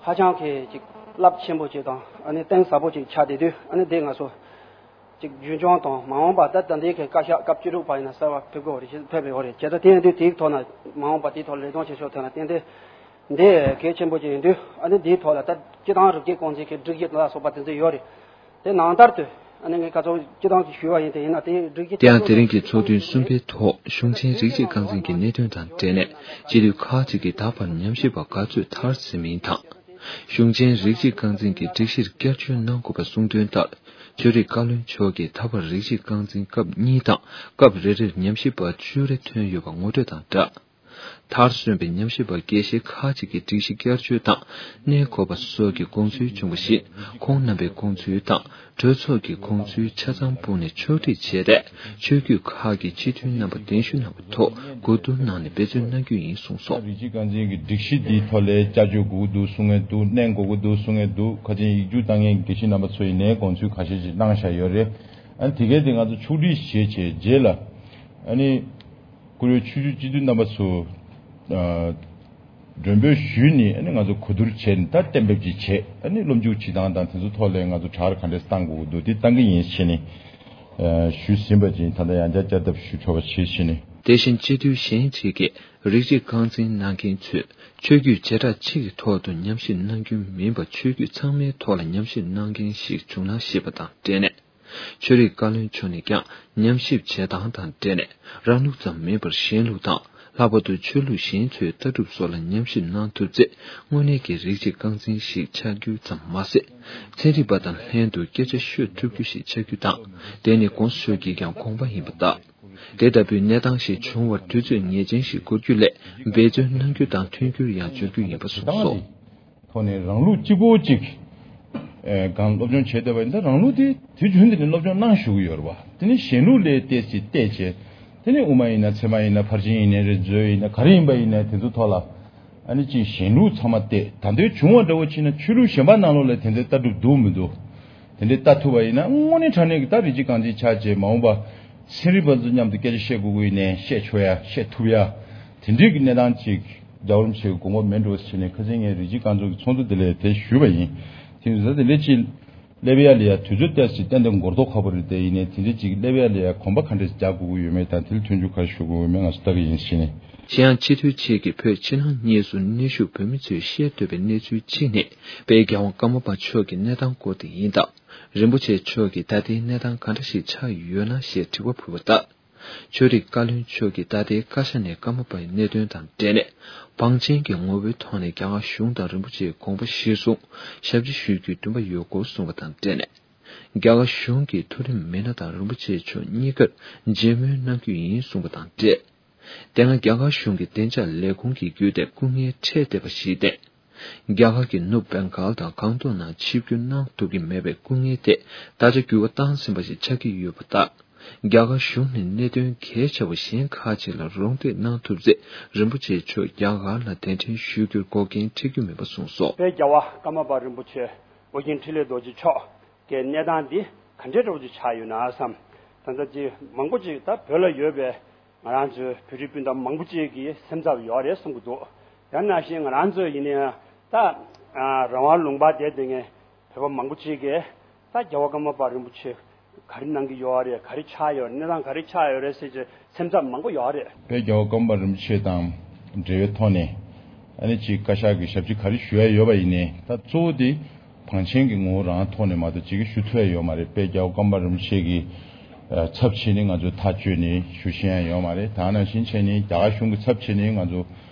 ཧ་ཅང་གི་ཅིག་རླབས་ཆེན་པོ་ཅིག་དང་ཨ་ནི་གཏིང་ཟབ་པོ་ཅིག་ཆགས་བསྡད་དུས། ཨ་ནི་འདི་ང་ཚོ་ཅིག་རྒྱུན་འཁྱོངས་དང་མ་འོངས་པ་ད་ད་འདི་གི་བཀའ་ཤག་སྐབས་བཅུ་དྲུག་པ་ཡིན་ན་གསར་བ་ཕེབས་དགོས་རེད། ཕེབས་ཡོད་རེད། བྱས་ཙང་དེ་ཡིན་དུས་དེའི་ཐོག་ན་མ་འོངས་པ་དེའི་ཐོག་ལས་དོན་བྱེད་ཕྱོགས་ཐད་ན་ཏན་ཏན་འདི་གལ་ཆེན་པོ་ཅིག་ཡིན་དུས། ཨ་ནི་འདིའི་ཐོག་ལ་ད་སྤྱི་བཏང་རིགས་གཅིག་རྐང་འཛིན་གྱི་སྒྲིག་གཞི་ལ་སོགས་པ་དེ་ཚོ་ཡོད་རེད། དེ་ནང་ལྟར་དུ། ཨ་ནི་ངས་ག་ཚོད་སྤྱི་བཏང་ཅིག་ཞུས་པ་ཡིན་དེ་ཡིན་ན་དེ་སྒྲིག་གཞི། དེ་ཡང་དེ་རིང་གི་ཚོགས་ཐུན་གསུམ་པའི་ཐོག་གཞུང་ཆེན་རིགས་གཅིག་རྐང་འཛིན་གྱི་གནད་དོན་དང་འབྲེལ་ནས་སྤྱི་འཐུས་ཁག་ཅིག་གིས་ད་བར་ཉམས་ཞིབ་པ་ག་ཚོད་མཐར་ཕྱིན་མིན་དང་། གཞུང་ཆེན་རིགས་གཅིག་རྐང་འཛིན་གྱི་སྒྲིག་གཞིར་བསྐྱར་བཅོས་གནང་དགོས་པ་གསུངས་དོན་ལྟར། ཆོས་རིག་བཀའ་བློན་མཆོག་གིས་ད་བར་རིགས་གཅིག་རྐང་འཛིན་སྐབས་གཉིས་དང་སྐབས་རེ་རེར་ཉམས་ཞིབ་པ་བཅུ་རེ་ཐོན་ཡོད་པ་ངོ་སྤྲོད་དང་སྦྲགས། མཐར་སོན་པའི་ཉམས་ཞིབ་པ་དགེ་བཤེས་ཁག་ཅིག་གིས་སྒྲིག་གཞི་བསྐྱར་བཅོས་དང་གནས་སྐོར་བ་སོགས་ཀྱི་དགོངས་ཚུལ་བྱུང་བ་བཞིན། ཁོང་རྣམ་པའི་དགོངས་ཚུལ་དང་གྲོས་ཚོགས་ཀྱི་དགོངས་ཚུལ་ཆ་ཚང་སྤུངས་ནས་ཕྱོགས་སྒྲིག་བྱས་ཏེ། ཆོས་བརྒྱུད་ཁག་གི་སྤྱི་འཐུས་རྣམ་པ་གདན་ཞུ་གནང་བའི་ཐོག་གོ་བསྡུར་གནང་ནས་འབད་བརྩོན་གནང་རྒྱུ་ཡིན་གསུངས་སོ། རིགས་གཅིག་རྐང་འཛིན་གྱི་སྒྲིག་གཞི་འདིའི་ཐོག་ལ་བསྐྱར་བཅོས་དགོས་ཀྱི་འདུག་གསུང་མཁན་འདུག་གནོན་དགོས་ཀྱི་འདུག་གསུང་མཁན་འདུག་ཁ་ཅིག་ཡིག་རྒྱུགས་བཏང་མཁན་དགེ་བཤེས་རྣམ་པ་ཚོ་ཡིན་ནའི་དགོངས་ཚུལ་ཁ་ཤས་ཤིག་གནང་བཞག་ཡོད་རེད། ཨ་ནི་དེ་གས་དེ་ང་ཚོ་ཕྱོགས་སྒྲིག་བྱས་བྱས་རྗེས་ལ། ཨ་ནི། བཀུར་འོས་ཆོས་བརྒྱུད་སྤྱི་འཐུས་རྣམ་པ་ཚོ། ཨ། མགྲོན་འབོད་ཞུས་ནས་ཨ་ནི་ང་ཚོ་གོ་བསྡུར་བྱས་ནས་ད་གཏན་འབེབས་ཅིག་བྱས། ཨ་ནི་སློབ་འཇུག་བྱེད་སྟངས་དང་དེ་ཚོ་ཐོག་ལ་ང་ཚོ་དྲ་ར་ག་འདྲས་བཏང་དགོས་ཀྱི་འདུག་དེ་བཏང་གི་ཡིན་ཟེར་ནས། ཨ། ཞུས་ཟིན་པ་ཅིག་ད་ལྟ་ཡང་བསྐྱར་བསྐྱར་ལྡབ་ཞུ་ཆོག་པ་བྱེད་ཟེར་ནས། དེ་བཞིན་སྤྱི་འཐུས་གཞན་གཅིག་གིས་རིགས་གཅིག་རྐང་འཛིན་གནང་མཁན་ཚོས་ཆོས་བརྒྱུད་བྱེ་བྲག་གཅིག་གི་ཐོག་ཏུ་ཉམས་ཞིབ་གནང་རྒྱུ་མིན་པར་ཆོས་བརྒྱུད་ཚང་མའི་ཐོག་ལ་ཉམས་ཞིབ་གནང་མཁན་ཞིག་བྱུང་ན་ཞེས་པ་དང་འབྲེལ་ནས། ཆོས་རིག་བཀའ་བློན་མཆོག་ནས་ཀྱང་ཉམས་ཞིབ་བྱེད་སྟངས་དང་འབྲེལ་ནས་རང་ལུགས་ཙམ་མིན་པར་གཞན་ལུགས་དང་། ལྷག་པར་དུ་ཆོས་ལུགས་གཞན་ཚོའི་ལྟ་གྲུབ་སོགས་ལ་ཉམས་ཞིབ་གནང་ཐུབ་ཚེ། དངོས་གནས་ཀྱི་རིགས་གཅིག་རྐང་འཛིན་ཞིག་ཆགས་རྒྱུ་ཙམ་མ་ཟད། ཚན་རིག་པ་དང་ལྷན་དུ་སྐད་ཆ་ཤོད་ཐུབ་རྒྱུ་ཞིག་ཆགས་རྒྱུ་དང་། དེ་ནི་གོང་ས་མཆོག་གིས་ཀྱང་དགོངས་པ་ཡིན་པ་ལྟར། དེ་ལྟ་བུའི་གནས་སྟངས་ཤིག་བྱུང་བར་དུས་ཚོད་ངེས་ཅན་ཞིག་འགོར་རྒྱུ་ལས་འབད་བརྩོན་གནང་རྒྱུ་དང་མཐུན་འགྱུར་ཡང་འབྱོར་རྒྱུ་ཡིན་པ་གསུངས་སོ། ཐོག་ནས་རང་ལུགས་གཅིག་པོ་གཅིག་ཨེ། གང་སློབ་སྦྱོང་བྱས་བསྡད་པ་ཡིན་ན་རང་ལུགས་དེ་དུས་རྒྱུན་དུ་ནས་སློབ་སྦྱོང་གནང་བཞུགས་ཀྱི་ཡོད་རེད་བ། དེ་ནས་གཞན་ལུགས་ལ་བལྟས་ཚེ་བལྟས་བྱས། དེ་ནས་དབུ་མ་ཡིན་ན་ཚད་མ་ཡིན་ན་ཕར་ཕྱིན་ཡིན་ནའི་རེད། མཛོད་ཡིན་ན་ག་རེ་ཡིན་པ་ཡིན་ནའི་དེ་ཚོ་ཐོག་ལ། ཨ་ནི་ཅིག་གཞན་ལུགས་ཚང་མ་བལྟས། ད་ལྟའི་བྱུང་བ་འདྲ་བོ་ཕྱིན་ན་ཆོས་ལུགས་གཞན་པ་ནང་ལོགས་ལ་དེ་འདྲའི་ལྟ་གྲུབ་འདུག་མི་འདུག་དེ་འདྲའི་ལྟ་ཐུབ་པ་ཡིན་ན་དངོས་གནས་དྲང་གནས་ཀྱི་ད་རིགས་གཅིག་རྐང་འཛིན་ཆགས་བྱས་མ་འོངས་པ། ཚན་རིག་པ་ཚོ་མཉམ་དུ་སྐད་ཆ་བཤད་དགོས་ཀྱི་ཡིན་ནའི་བཤད་ཆོག་ཡ་བཤད་ཐུབ་ཡ། དེ་འདྲའི་གི་གནས་སྟངས་ཅིག་རྒྱལ་བ་རིན་པོ་ཆེ་གི་དགོངས་པ་མེད་འགྲོ་ཟེར་ནས་ཁ་སང་ངས་རིགས་གཅིག་རྐང་འཛིན་གྱི་ཚོགས་འདུ་དེ་ལ་དེ་ཞུས་པ་ཡིན། དེ་ཡིན་ཙང་དེ་འདྲ་ཅིག་སླེབས་ཡ་ལ་ཡ་དུས་ཚོད་ཏོག་ཙམ་ཏན་ཏན་འགོར་མདོག་ཁ་པོ་རེད། དེ་ཡིན་ནའི་དེ་འདྲ་ཅིག་སླེབས་ཡ་ལ་ཡ་གོམ་པ་ག་འདྲས་རྒྱག་དགོས་ཀྱི་ཡོད་མེད་དང་དེ་ལ་མཐུན་འགྱུར་ག་རེ་ཞུ་དགོས་ཡོད་མེད་ང་ཚོ་ལྟ་གི་ཡིན་ཟེར་ནས། གཞན་ཡང་སྤྱི་འཐུས་གཅིག་གིས་བོད་ཕྱི་ནང་གཉིས་སུ་གནས་བཞུགས་བོད་མི་ཚོས་ཤེས་འདོད་པའི་གནས་ཚུལ་གཅིག་ནི་དཔལ་རྒྱལ་བ་ཀརྨ་པ་མཆོག་གི་གནས་སྟངས་སྐོར་དེ་ཡིན་སྟབས། རིན་པོ་ཆེ་མཆོག་གིས་ད་ལྟའི་གནས་སྟངས་ག་འདྲ་ཞིག་ཆགས་ཡོད་ན་ཞེས་དྲི་བ་ཕུལ་བ་ལྟར། ཆོས་རིག་བཀའ་བློན་མཆོག་གིས་ད་ལྟའི་བཀའ་ཤག་ནས་ཀརྨ་པའི་གནད་དོན་དང་འབྲེལ་ནས་བང་ཆེན་གྱི་ངོ་བོའི་ཐོག་ནས་རྒྱ་གར་གཞུང་དང་རིན་པོ་ཆེའི་དགོངས་པ་གཞིར་བཟུང་ཞབས་ཕྱི་ཞུ་རྒྱུའི་འདུན་པ་ཡོད་སྐོར་གསུངས་པ་དང་འབྲེལ་ནས། རྒྱ་གར་གཞུང་གིས་མཐོ་རིམ་མི་སྣ་དང་རིན་པོ་ཆེ་མཆོག་གཉིས་ཀར་མཇལ་མོལ་གནང་རྒྱུ་ཡིན་གསུངས་པ་དང་འབྲེལ། དེ་སྔ་རྒྱ་གར་གཞུང་གི་བདེ་འཇགས་ལས་ཁུངས་ཀྱི་བརྒྱུད་དེ་སྐུ་ངལ་འཕྲད་བསྡད་པ་ཞིག་སྟེ། རྒྱ་གར་གྱི་ནུབ་བེང་གཱལ་དང་སྒང་ཏོག་ནང་ཆིབས་བསྒྱུར་གནང་ཐུབ་ཀྱི་མེད་པའི་སྐུ་ངལ་དེ་ད་ཆ་འགྱུར་བ་བཏང་ཟིན་པ་ཞིག་ཆགས་ཀྱི་ཡོད་པ་ལྟར། རྒྱ་གར་གཞུང་ནས་གནད་དོན་གལ་ཆེ་བ་གཞན་ཁག་ཅིག་ལ་རོགས་འདེགས་གནང་ཐུབ་ཚེ་རིན་པོ་ཆེ་མཆོག་རྒྱ་གར་ལ་གདན་འདྲེན་ཞུ་རྒྱུར་འགོག་རྐྱེན་འཕྲད་རྒྱུ་མེད་པ་གསུངས་སོ། དཔལ་རྒྱལ་བ་ཀརྨ་པ་རིན་པོ་ཆེ་ཨོ་རྒྱན་འཕྲིན་ལས་རྡོ་རྗེ་མཆོག་གི་གནས་སྟངས་འདི་ག་འདྲའི་འདྲ་བོ་ཅིག་ཆགས་ཡོད་ན་བསམ། ད་ལྟ་ཅིག་མང་པོ་ཅིག་ད་བོད་ལ་ཡོད་པའི་ང་རང་ཚོའི་བོད་རིགས་སྤུན་ཟླ་མང་པོ་ཅིག་གི་སེམས་འཚབ་ཡོད་རེད་གསུང་གི་འདུག་ཡང་ན་བཞིན་ང་རང་ཚོ་ཡིན་ན་ཡང་ད་རང་དབང་ལུང་པ་བསྡད་བསྡད་མཁན་བོད་པ་མང་པོ་ཅིག་གིས་ད་རྒྱལ་བ་ཀརྨ་པ་རིན་པོ་ཆེ་ག་རེ་གནང་གི་ཡོད་རེད། ག་རེ་ཆགས་ཡོད་རེད། གནས་སྟངས་ག་རེ་ཆགས་ཡོད་རེད་ཟེར་གྱི་སེམས་འཚབ་མང་པོ་ཡོད་རེད། དཔལ་རྒྱལ་བ་ཀརྨ་པ་རིན་པོ་ཆེ་དང་འབྲེལ་བའི་ཐོག་ནས་ཨ་ནི་ཅིག་བཀའ་ཤག་གི་ཞབས་ཕྱི་ག་རེ་ཞུ་ཡ་ཡོད་པ་ཡིན་ནའི་ད་གཙོ་བོ་དེ། བང་ཆེན་གྱི་ངོ་བོ་རང་ཐོག་ནས་མ་གཏོགས་ཅིག་ཞུ་ཐུབ་ཡ་ཡོད་མ་རེད། དཔལ་རྒྱལ་བ་ཀརྨ་པ་རིན་པོ་ཆེ་གི་ཚབ་བྱས་ནས་ང་ཚོས་ཐག་གཅོད་ནས་ཞུ་ཤེས་ཡ་ཡོད་མ་རེད། ད་ནང་བཞིན་བྱས་ནས་རྒྱ་གར་གཞུང་གི་ཚབ་བྱས་ནས་ང་ཚོ་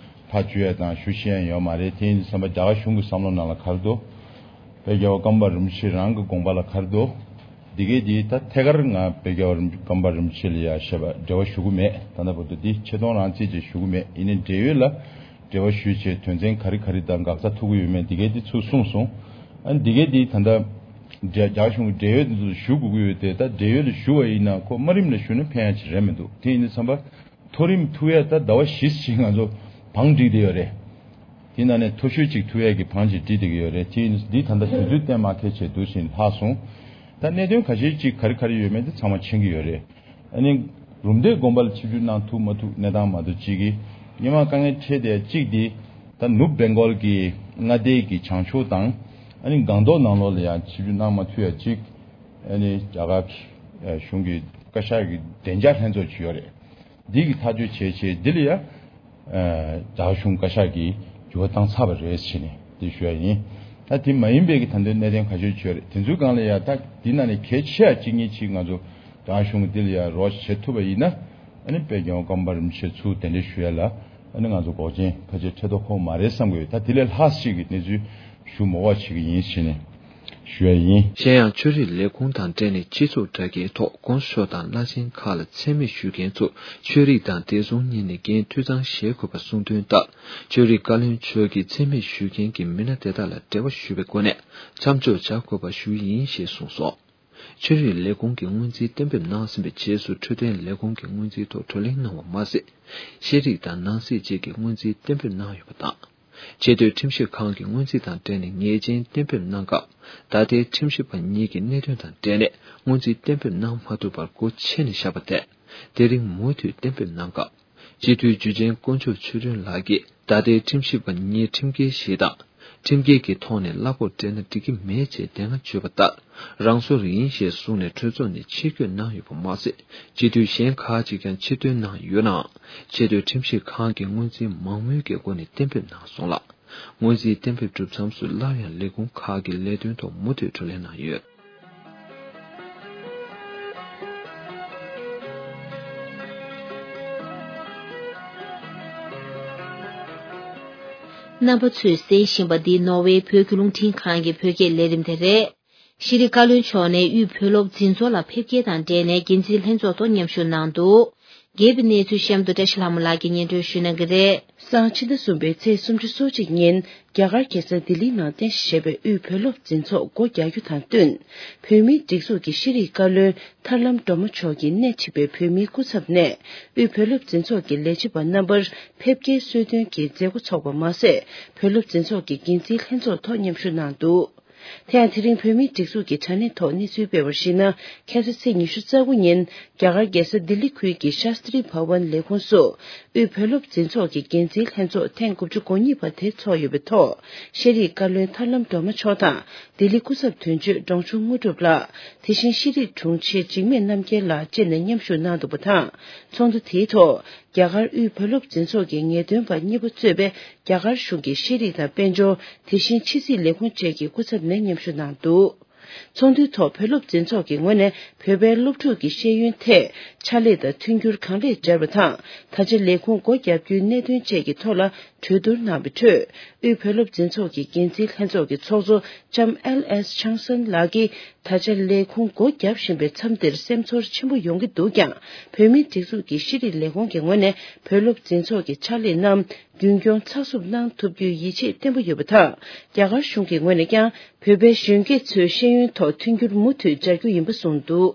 ཐག་གཅོད་ཡ་དང་ཞུ་ཤེས་ཡ་ཡོད་མ་རེད། དེ་ཡིན་དུས་ཙམ་པ་རྒྱ་གར་གཞུང་གི་བསམ་བློ་ནང་ལ་ག་རེ་འདུག་དཔལ་རྒྱལ་བ་ཀརྨ་པ་རིན་པོ་ཆེ་རང་གི་དགོངས་པ་ལ་ག་རེ་འདུག་འདི་གས་འདི་ད་ཐད་ཀར་ང་དཔལ་རྒྱལ་བ་རིན་ཀརྨ་པ་རིན་པོ་ཆེ་ལ་ཡ་བཤད་པ་འབྲེལ་བ་ཞུ་གི་མེད། ད་ལྟ་བར་དུ་འདི་ཆེ་མཐོང་རང་རྩིས་ཅིག་ཞུ་གི་མེད། ཡིན་ནའི་འབྲེལ་ཡོད་ལ་འབྲེལ་བ་ཞུས་བྱས་དོན་ཚན་ག་རེ་ག་རེ་དང་འགག་རྩ་ཐུག་གི་ཡོད་མེད་འདི་གས་འདི་ཚུར་གསུངས་སོང་། ཨ་ནི་འདི་གས་འདི་ད་ལྟ་རྒྱ་རྒྱ་གཞུང་གི་འབྲེལ་ཡོད་འདི་ཚོ་ཞུ་དགོས་ཀྱི་ཡོད་དེ། ད་འབྲེལ་ཡོད་ལ་ཞུ་བ་ཡིན་ན་ཁོ་དམའ་རིམ་ལ་ཞུ་ན་ཕན་ཡ་ཅིག་རེད་མི་འདུག་དེ་ཡིན་དུས་ཙམ་པ་མཐོ་རིམ་ཐུག་ཡ་ད་ཟླ་བ་བཞི་ཙམ་ང་ཚོ་བང་བསྒྲིགས་བསྡད་ཡོད་རེད། དེ་ནང་ནས་མཐོ་ཤོས་ཅིག་ཐུག་ཡས་ཀྱི་བང་ཅིག་བསྒྲིགས་བསྡད་ཀྱི་ཡོད་རེད། དེ་འདི་ད་ལྟ་དུས་ཚོད་གཏན་མ་འཁེལ་བྱས་འདུག་ཟེར་ལྷག་སོང་། ད་གནད་དོན་ཁ་ཤས་ཅིག་ག་རེ་ག་རེ་ཡོད་མེད་དེ་ཚང་མ་མཁྱེན་གྱི་ཡོད་རེད། ཨ་ནི་རུམ་བཏེག་དགོན་པ་ལ་ཆིབས་བསྒྱུར་གནང་ཐུབ་མ་ཐུབ་གནས་སྟངས་མ་གཏོགས་གཅིག་གིས་སྔོན་མ་དཀའ་ངལ་འཕྲད་བསྡད་གཅིག་འདི་ད་ནུབ་བེང་གོལ་གྱི་མངའ་སྡེ་གི་བྱང་ཕྱོགས་དང་ཨ་ནི་སྒང་ཏོག་ནང་ལོགས་ལ་ཡང་ཆིབས་བསྒྱུར་གནང་མ་ཐུབ་ཡ་གཅིག་ཨ་ནི་རྒྱ་གར་གཞུང་གི་བཀའ་ཤག་གི་བདེ་འཇགས་ལྷན་ཚོགས་ཅིག་ཡོད་རེད། འདི་གི་ཐག་གཅོད་བྱས་བྱས་འདི་ལ་ཡ། རྒྱ་གཞུང་བཀའ་ཤག་གིས་འགྱུར་བ་བཏང་ཚར་བ་རེད་ཟེར་ནས་འདི་ཞུ་ཡ་ཡིན། ད་དེ་མ་ཡིན་པའི་གི་ད་ལྟའི་གནད་དོན་ཁ་ཤས་ཡོད་རེད། དེ་ཚོའི་སྒང་ལ་ཡ་ད་འདི་ནང་ནས་གལ་ཆེ་བ་གཅིག་གཉིས་ཅིག་ང་ཚོ་རྒྱ་གར་གཞུང་གི་འདི་ལ་ཡ་རོགས་བྱེད་ཐུབ་པ་ཡིན་ན། ཨ་ནི་དཔལ་རྒྱལ་བ་ཀརྨ་པ་རིན་པོ་ཆེ་ཚུར་གདན་འདྲེན་ཞུ་ཡ་ལ་ཨ་ནི་ང་ཚོ་འགོག་རྐྱེན་ཕལ་ཆེར་འཕྲད་མདོག་ཁོ་མ་རེད་བསམ་གི་ཡོད། ད་དེ་ལས་ལྷག་ཅིག་གི་གནས་ཚུལ་ཞུ་མ་དགོས་པ་བྱེད་ཀྱི་ཡིན་ཞེས་ནས་ཞུ་ཡ་ཡིན། གཞན་ཡང་ཆོས་རིག་ལས་ཁུངས་དང་འབྲེལ་ནས་སྤྱི་ཚོགས་དྲ་རྒྱའི་ཐོག་དགོངས་ཞུ་དང་བླ་ཆེན་ཁག་ལ་མཚན་སྨད་ཞུ་མཁན་ཚོ་ཆོས་རིག་དང་བདེ་སྲུང་གཉིས་ནས་འགན་འཐུས་ཚང་བཞེས་དགོས་པ་གསུངས་དོན་ལྟར། ཆོས་རིག་བཀའ་བློན་མཆོག་གིས་མཚན་སྨད་ཞུ་མཁན་གྱི་མི་སྣ་དེ་དག་ལ་འབྲེལ་བ་ཞུས་པའི་སྒོ་ནས་མཚམས་འཇོག་བྱ་དགོས་པ་ཞུ་ཡིན་ཞེས་གསུངས་སོང་། ཆོས་རིག་ལས་ཁུངས་ཀྱི་སྔོན་རྩིས་གཏན་འབེབས་གནང་ཟིན་པའི་རྗེས་སུ་འཕྲོད་བསྟེན་ལས་ཁུངས་ཀྱི་སྔོན་རྩིས་ཐོག་བགྲོ་གླེང་གནང་བ་མ་ཟད། ཤེས་རིག་དང་ནང་སྲིད་བཅས་ཀྱི་སྔོན་རྩིས་གཏན་འབེབས་གནང་ཡོད་པ་དང་། ཆེས་མཐོའི་ཁྲིམས་ཞིབ་ཁང་གི་སྔོན་རྩིས་དང་འབྲེལ་ནས་ཉེས་ཅན་གཏན་འབེབས་གནང་སྐབས། ད་ལྟའི་ཁྲིམས་ཞིབ་པ་གཉིས་ཀྱི་གནད་དོན་དང་འབྲེལ་ནས་སྔོན་རྩིས་གཏན་འབེབས་གནང་མ་ཐུབ་པར་སྒོ་ཕྱེ་ནས་བཞག་པ་དེ། དེ་རིང་མུ་མཐུད་གཏན་འབེབས་གནང་སྐབས། སྤྱི་འཐུས་འཇུ་ཆེན་དཀོན་མཆོག་ཆོས་སྒྲོན་ལགས་ཀྱིས་ད་ལྟའི་ཁྲིམས་ཞིབ་པ་གཉིས་ཁྲིམས་འགལ་ཞིག་དང་། ཁྲིམས་འགལ་གྱི་ཐོག་ནས་གླ་ཕོགས་སྤྲད་ན་འགྲིག་གི་མེད་ཅེས་དེ་སྔ་བརྗོད་པ་ལྟར་རང་སོར་ཡིན་ཞེས་གསུངས་ནས་གྲོས་ཚོགས་ནས་ཕྱིར་བསྐྱོད་གནང་ཡོད་པ་མ་ཟད། སྤྱི་འཐུས་གཞན་ཁག་ཅིག་ཀྱང་ཕྱིར་ཐོན་གནང་ཡོད་ནའང་། ཆེས་མཐོའི་ཁྲིམས་ཞིབ་ཁང་གིས་སྔོན་རྩིས་མང་མོས་ཀྱི་སྒོ་ནས་གཏན་འབེབས་གནང་སོང་ལ། སྔོན་རྩིས་གཏན་འབེབས་གྲུབ་མཚམས་སུ་སླར་ཡང་ལས་ཁུངས་ཁག་གི་ལས་དོན་ཐོག་མུ་མཐུད་བགྲོ་གླེང་གནང་ཡོད། རྣམ་པ་ཚོས་གསན་བཞིན་པ་འདི་ནོར་ཝེ་བོད་ཀྱི་རླུང་འཕྲིན་ཁང་གི་བོད་སྐད་ལས་རིམ་དེ་རེད། ཤེས་རིག་བཀའ་བློན་མཆོག་ནས་དབུས་བོད་སློབ་འཛིན་ཚོགས་ལ་ཕེབས་སྐྱེལ་དང་འབྲེལ་ནས་འགན་འཛིན་ལྷན་ཚོགས་ཐོག་མཉམ་ཞུགས་གནང་འདུག། རྒྱས་པའི་གནས་ཚུལ་གཤམ་དུ་བཀྲ་ཤིས་ལྷ་མོ་ལགས་ཀྱིས་སྙན་སྒྲོན་ཞུ་གནང་གི་རེད། སང་ཕྱི་ཟླ་གསུམ་པའི་ཚེས་སུམ་ཅུ་སོ་གཅིག་ཉིན་རྒྱ་གར་རྒྱལ་ས་ལྡི་ལིའི་ནང་རྟེན་གཞི་བྱས་པའི་དབུས་བོད་སློབ་འཛིན་ཚོགས་སྒོ་རྒྱག་རྒྱུ་དང་བསྟུན། བོད་མིའི་སྒྲིག་འཛུགས་ཀྱི་ཤེས་རིག་བཀའ་བློན་ཐར་ལམ་སྒྲོལ་མ་མཆོག་གིས་སྣེ་ཁྲིད་པའི་བོད་མིའི་སྐུ་ཚབ་ནས་དབུས་བོད་སློབ་འཛིན་ཚོགས་ཀྱི་ལས་བྱེད་པ་རྣམ་པར་ཕེབས་སྐྱེལ་གསོལ་སྟོན་གྱི་མཛད་སྒོ་འཚོགས་པ་མ་ཟད། བོད་སློབ་འཛིན་ཚོགས་ཀྱི་འགན་འཛིན་ལྷན་ཚོགས་ཐོག་མཉམ་ཞུགས་གནང་འདུག། དེ་ཡང་དེ་རིང་བོད་མིའི་སྒྲིག་འཛུགས་ཀྱི་དྲ་གནས་ཐོག་གནས་ཚུལ་སྤེལ་བར་གཞིགས་ན། ཁ་སང་ཚེས་ཉི་ཤུ་རྩ་དགུ་ཉིན་རྒྱ་གར་རྒྱལ་ས་ལྡི་ལི་ཁུལ་གྱི་ཤཱསྟྲི་བྷ་ཝན་ལས་ཁུངས་སུ་དབུས་བོད་སློབ་འཛིན་ཚོགས་ཀྱི་འགན་འཛིན་ལྷན་ཚོགས་ཐེངས་དགུ་བཅུ་གོ་གཉིས་པ་དེ་འཚོགས་ཡོད་པའི་ཐོག་ཤེས་རིག་བཀའ་བློན་ཐར་ལམ་སྒྲོལ་མ་མཆོག་དང་ལྡི་ལི་སྐུ་ཚབ་དོན་གཅོད་འབྲོང་ཆུང་དངོས་གྲུབ་ལགས། དེ་བཞིན་ཤེས་རིག་དྲུང་ཆེ་འཇིགས་མེད་རྣམ་རྒྱལ་ལགས་བཅས་ནས་མཉམ་ཞུགས་གནང་འདུག་པ་དང་། ཚོགས་འདུ་དེའི་ཐོག་རྒྱ་གར་དབུས་བོད་སློབ་འཛིན་ཚོགས་ཀྱི་ངེས་སྟོན་པ་གཉིས་པོ་གཙོས་པའི་རྒྱ་གར་གཞུང་གི་ཤེས་རིག་དང་དཔལ་འབྱོར། དེ་བཞིན་ཕྱི་སྲིད་ལས་ཁུངས་བཅས་ཀྱི་སྐུ་ཚབ་ནས་མཉམ་ཞུགས་གནང་འདུག། ཚོགས་འདུའི་ཐོག་བོད་སློབ་འཛིན་ཚོགས་ཀྱི་ངོས་ནས་བོད་པའི་སློབ་ཕྲུག་གི་ཤེས་ཡོན་ཐད་ཕྱག་ལས་དང་མཐུན་འགྱུར་གང་ལེགས་སྦྱར་བ་དང་། ད་ཆ་ལས་ཁུངས་སྒོ་བརྒྱབ་རྒྱུའི་གནད་དོན་བཅས་ཀྱི་ཐོག་ལ་གྲོས་བསྡུར་གནང་བའི་ཁྲོད། དབུས་བོད་སློབ་འཛིན་ཚོགས་ཀྱི་འགན་འཛིན་ལྷན་ཚོགས་ཀྱི་ཚོགས་གཙོ་ལྕམ་ཨེལ་ཨེས་ཆང་སན་ལགས་ཀྱིས། ད་ཆ་ལས་ཁུངས་སྒོ་བརྒྱབ་བཞིན་པའི་མཚམས་འདིར་སེམས་ཚོར་ཆེན་པོ་ཡོང་གི་འདུག་ཀྱང་། བོད་མིའི་སྒྲིག་འཛུགས་ཀྱི་ཤེས་རིག་ལས་ཁུངས་ཀྱི་ངོས་ནས་བོད་སློབ་འཛིན་ཚོགས་ཀྱི་ཕྱག་ལས་རྣམས་རྒྱུན་སྐྱོང་ཚགས་ཚུད་གནང་ཐུབ་རྒྱུའི་ཡིད་ཆེས་བརྟན་པོ་ཡོད་པ་དང་། རྒྱ་གར་གཞུང་གི་ངོས་ནས་ཀྱང་བོད་པའི་གཞོན་སྐྱེས་ཚོའི་ཤེས་ཡོན་ཐོག་མཐུན་འགྱུར་མུ་མཐུད་སྦྱར་རྒྱུ་ཡིན་པ་གསུངས་འདུག།